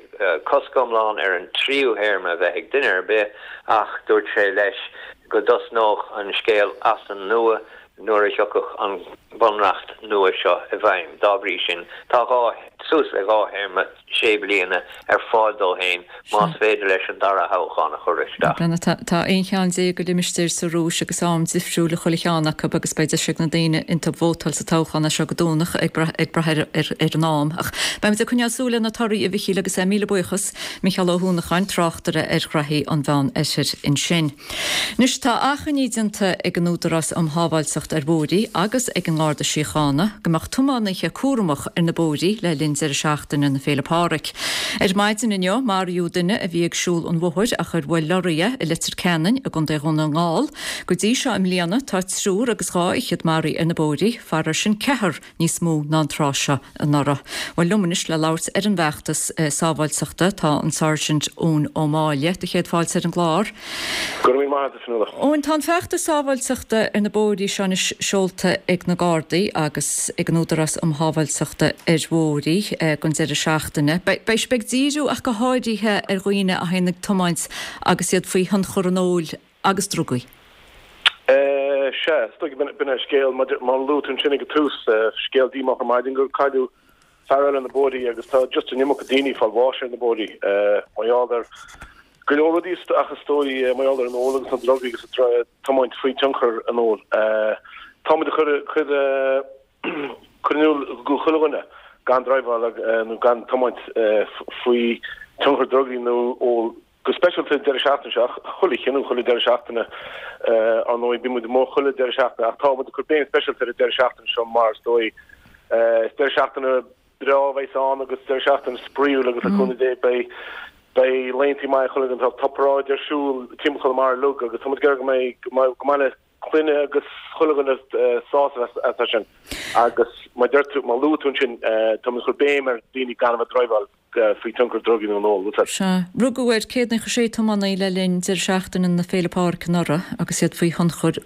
cosc iomlán ar an tríú théarma a bheith ag duine ar bith ach dúirt sé leis go dtosnódh an scéal as an nua nuair a thiocfadh an bunreacht nua seo i bhfeidhm. Dá bhrí sin, tá dhá suas le dhá théarma sé bliana ar fáil dó féin más féidir leis an dara thoghchán a chur isteach. Tá tá aon cheann déag de limistéir sa Rúis agus am difriúil i chuile cheann acu agus beidh deis ag na daoine iontu vótáil sa toghchán as seo go Domhnach ag brath ag brath ar ar ar an am. Ach beimid ag coinneáil súil ar na torthaí a Mhichíl agus míle buíochas Micheál Ó hUanacháin, tráchtaire ar ghraithí an Mheán Oirthir ansin. Anois tá achainí déanta ag an Údarás um Shábháilteacht ar Bhóithre agus ag an nGarda Síochána go mbeadh tiománaithe cúramach ar na bóithre le linn deireadh seachtaine na Féile Pádraig. Ar maidin inniu maraíodh duine a bhí ag siúl an bhóthair ach ar bhuail lorraí é i Leitir Ceanainn i gContae Dhún na nGall. Go dtí seo i mbliana tá triúr agus dhá fhichead maraithe ar na bóithre, faraor sin ceathrar níos mó ná an tráth seo anuraidh. Bhuel liom anois le labhairt ar an bhfeachtas sábháilteachta tá an Sergeant Eoin Ó Máille. Do chéad fáilte ar an gclár. Go raibh míle maith agat, a Fionnuala. Eoin, tá an feachtas sábháilteachta ar na bóithre seo anois seolta ag na Gardaí agus ag an Údarás um Shábháilteachta ar Bhóithre don deireadh seachtaine. Beidh sibh ag díriú ach go háirithe ar dhaoine a théann ag tiomáint agus iad faoi thionchar an óil agus drugaí. Sea, is dóigh, b'in é an scéal, mar a luaigh tú ansin ag an tús, scéal díomách ar maidin gur cailleadh fear eile ar na bóithrí agus tá just an iomarca daoine ag fáil bháis ar na bóithrí mar gheall ar go leor rudaí ach is dóigh mar gheall ar an ól agus na drugaí agus an tiomáint faoi tionchar an óil. Táimid ag cur cur cur in iúl go chuile dhuine gan driveáil nó gan tiomáint faoi tionchar drugaí nó ól go speisialta an deireadh seachtaine seo ach chuile chinneadh chuile deireadh seachtaine ar ndóigh bíonn muid amuigh chuile deireadh seachtaine ach tá muid ag cur béim speisialta ar an deireadh seachtaine seo mar is dóigh is deireadh seachtaine breá a bheas ann agus deireadh seachtaine spraíúil agus le cúnamh Dé beidh beidh laethanta maithe chuile dhuine tá paráid ar siúl timpeall Chonamara uilig agus tá muid ag iarraidh go mbeidh go mbeidh le clainne agus chuile dhuine sásamh as sin agus mar deir tú mar luaigh tú ansin tá muid ag cur béim ar daoine gan a bheith ag driveáil faoi tionchar drugaí nó an óil. Bhfuil fhios Sea. Rugadh ar céad naocha sé tiománaí le linn deireadh seachtaine na Féile Pádraig anuraidh agus iad faoi thionchar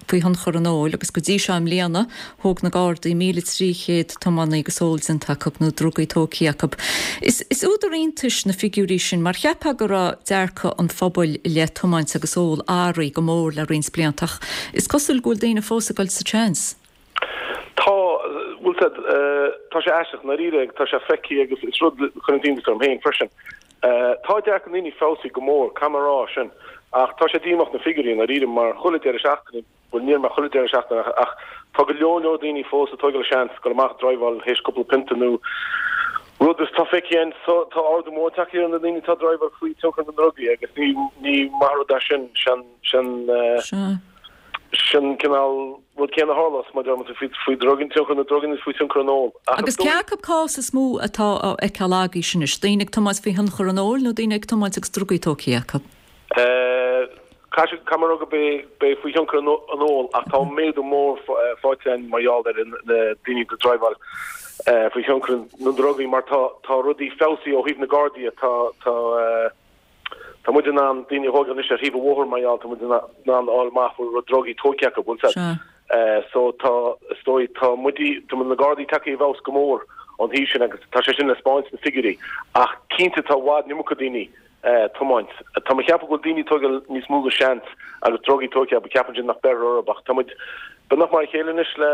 faoi thionchar an óil agus go dtí seo i mbliana thóg na Gardaí míle trí chéad tiománaí agus ól déanta acu nó drugaí tógtha acu. Is is údar iontais na figiúirí sin mar cheapfá go raibh dearcadh an phobail i leith tiomáint agus ól athraithe go mór le roinnt blianta ach is cosúil go bhfuil daoine fós ag dul sa tseans. Tá, bhfuil fhios a'd, tá sé aisteach, i ndáiríre, tá sé feicthe agus is rud a chuireann iontas orm féin freisin. Tá dearcadh na ndaoine feabhsaithe go mór, caithfidh mé a rá sin, ach tá sé díomách na figiúirí i ndáiríre mar chuile deireadh seachtaine, bhuel ní mar chuile deireadh seachtaine ach ach tá go leor leor daoine fós ag tógáil seans dul amach ag driveáil théis cúpla pionta nó rud is tá feicthe againn tá ardú mór tagtha ar na daoine atá ag driveáil faoi tionchar na ndrugaí agus ní ní maith rud é sin sin sin Sin cineál rud céanna a tharlós má deir muid faoi faoi drugaí, tionchar na ndrugaí nó faoi thionchar an óil. Ach is Agus cé acu cás is mó atá á fheiceáil agaibhse anois, daoine ag tiomáint faoi thionchar an óil nó daoine ag tiomáint agus drugaí tógtha acu? Caithfidh caithfidh mé a rá go b'é b'é faoi thionchar an an óil ach tá méadú mór faighte againn mar gheall ar na daoine ag driveáil faoi thionchar na ndrugaí mar tá tá rudaí feabhsaithe ó thaobh na Gardaí tá tá Tá muid in ann daoine a thógáil anois ar thaobh an bhóthair mar gheall tá muid in ann a fháil amach bhfuil raibh drugaí tógtha acu, bhfuil fhios a'd. So tá, is dóigh, tá muid, tá na Gardaí tagtha i bhfeabhas go mór ón thaobh sin agus tá sé sin le spáint sna figiúirí. Ach cinnte tá i bhfad an iomarca daoine ag tiomáint. Tá mé ag ceapadh go bhfuil daoine ag tógáil níos mó de seans agus drugaí tógtha acu, ceapann siad nach mbeirfear orthu ach tá muid beagnach mar a chéile anois le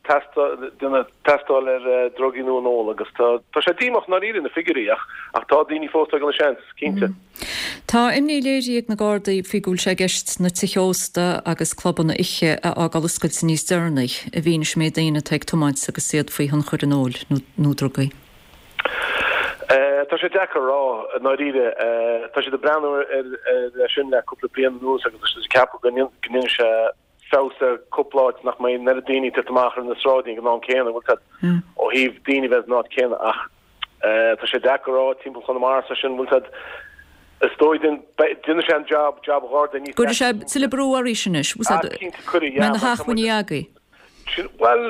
déanamh tástáil ar drugaí nó an ól agus tá tá sé díomách i ndáiríre na figiúirí ach ach tá daoine fós ag tógáil an seans, cinnte. Tá imní léirithe ag na Gardaí faoi go bhfuil sé i gceist na tithe ósta agus clubanna oíche a fhágáil oscailte níos deireanaí i bhfianaise an méid daoine atá ag tiomáint agus iad faoi thionchar an óil nó drugaí. Tá sé deacair a rá i ndáiríre. Tá siad ag breathnú ar ar sin le cúpla bliain anuas agus tá siad ag ceapadh go ndéanfaidh sé feabhas ar cúpla áit nach mbeidh an oiread daoine ag titim amach ar na sráideanna ag an am céanna, bhfuil fhios a'd, ó thaobh daoine bheith san áit céanna ach tá sé deacair a rá timpeall Chonamara is sin, bhfuil fhios a'd, is dóigh déanfaidh sé an jab, jab an Gharda níos Cuirfidh sé tuilleadh brú arís anois, bhfuil fhios a'd, cinnte cuirfidh, yeah, mbeidh na hacmhainní agaibh. Bhuel,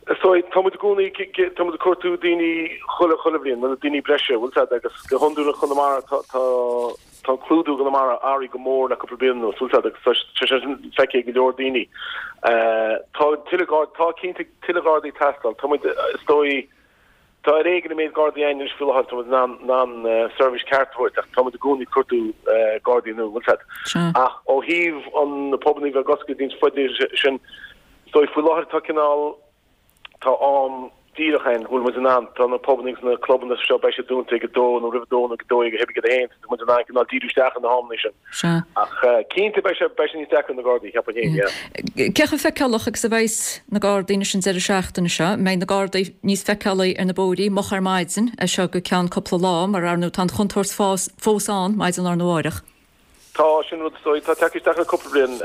is dóigh, tá muid i gcónaí, tá muid ag cuartú daoine chuile, chuile bhliain, bhuel, daoine breise, bhfuil fhios a'd, agus go hiondúil i Conamara tá, tá, tá an clúdú i gConamara athraithe go mór le cúpla bliain anuas, bhfuil fhios a'd, agus tá sé sin feicthe ag go leor daoine. Tá tuilleadh Gard, tá cinnte tuilleadh Gardaí ag teastáil, tá muid, is dóigh, Tá ar éigean an méid Gardaí againn anois faoi láthair, tá muid in ann in ann seirbhís ceart a thabhairt ach tá muid i gcónaí ag cuartú Gardaí nua, bhfuil fhios a'd. Ach ó thaobh an na pubannaí bheith ag oscailt níos faide sin, is dóigh faoi láthair tá cineál, tá am díreach ann, go bhfuil muid in ann, tá na pubanna agus na clubanna seo, beidh siad dúnta ag a dó nó roimh a dó nó ag a dó dhéag a theip ag a haon, tá muid in ann cineál díriú isteach ar na hamanna sin. Sea. Ach cinnte beidh sé, beidh sé níos deacra ar na Gardaí, cheapfainn féin, yeah. Cé chomh feiceálach agus a bheas na Gardaí anois an deireadh seachtaine seo? An mbeidh na Gardaí níos feiceálaí ar na bóithrí moch ar maidin as seo go ceann cúpla lá mar ar ndóigh tá an chontúirt fós ann maidin lá arna mháireach? Tá, sin rud is dóigh, tá tagtha isteach le cúpla bliain,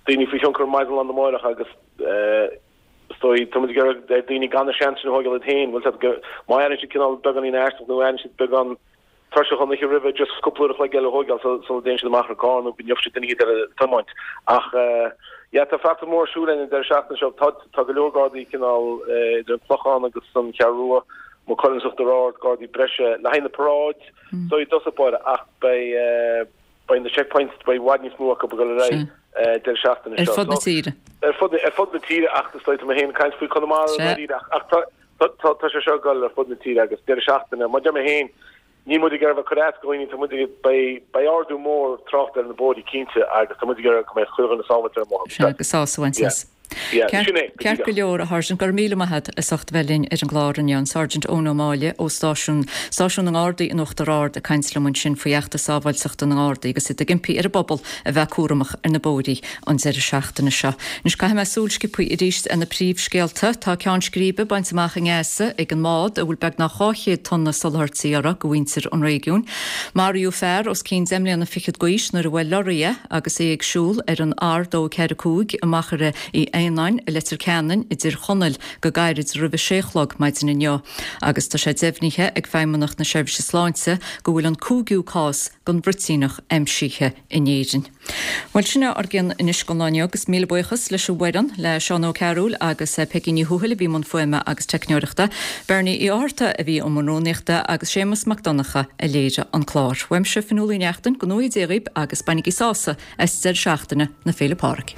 daoine faoi thionchar maidin lá arna mháireach agus, Is dóigh, tá muid ag iarraidh ar daoine gan an seans sin a thógáil iad féin, bhfuil siad, má airíonn siad cineál beagáinín aisteach nó airíonn siad beagán tuirseach an oíche roimhe, just cúpla uair a chloig eile a thógáil sula dtéann siad amach ar an gcarr nó go ngeobhaidh siad duine éicint eile ag tiomáint. Ach yeah, tá feachtas mór ar siúl againn an deireadh seachtaine seo. Tá, tá go leor Gardaí cineál idir an Clochán agus an Cheathrú Rua, Maigh Cuilinn is Uachtar Ard, Gardaí breise le haghaidh na paráid, so i dtosach báire ach beidh, Beidh na checkpoints, beidh i bhfad níos mó acu ag dul ar aghaidh deireadh seachtaine seo. Ar fud na tíre. Ar fud, ar fud na tíre ach is dóigh, tá mé féin ag caint faoi Conamara i ndáiríre ach, ach tá, tá, tá, tá sé seo ag dul ar fud na tíre agus deireadh seachtaine, mar deir mé féin, níl muid ag iarraidh bheith ag cur as do dhaoine, tá muid ag, beidh, beidh ardú mór tráchta ar na bóithrí cinnte agus tá muid ag iarraidh go mbeidh chuile dhuine sábháilte ar an mbóthar. Sea, agus sásamh a bhaint as. Ceart go leor, a Sháirsint, go raibh míle maith agat as ucht a bheith linn ar an gclár inniu. An Sergeant Eoin Ó Máille ó stáisiún Stáisiún na nGardaí in Uachtar Ard ag caint liom ansin faoi fheachtas sábháilteachta na nGardaí agus iad ag impí ar an bpobal a bheith cúramach ar na bóithrí an deireadh seachtaine seo. Anois caithfidh mé súil sciobtha arís ar na príomhscéalta. Tá ceann scríbe bainte amach i nGaza ag an mbád a bhfuil beagnach dhá chéad tonna soláthairtí orthu do mhuintir an réigiúin. Maraíodh fear os cionn deich mbliana fichead d'aois nuair a bhuail lorraí é agus é ag siúl ar an R dó ceathair cúig i Machaire Uí Aonáin i Leitir Ceanainn i dTír Chonaill go gairid roimh a sé a chlog maidin inniu agus tá sé deimhnithe ag Feidhmeannacht na Seirbhíse Sláinte go bhfuil an cúigiú cás den bhruitíneach aimsithe in Éirinn. Bhuel sin é ár gcionn anois don lá inniu agus míle buíochas leis an bhfoireann, le Seán Ó Cearúil agus Peigí Ní Thuathail a bhí i mbun fuaime agus teicneoireachta, Bernie Uí Fhátharta a bhí i mbun rúnaíochta agus Séamus Mac Donncha a léirigh an clár. Uaimse Fionnuala Uí Neachtain, go ngnóthaí Dia dhaoib agus bainigí sásamh as deireadh seachtaine na Féile Pádraig.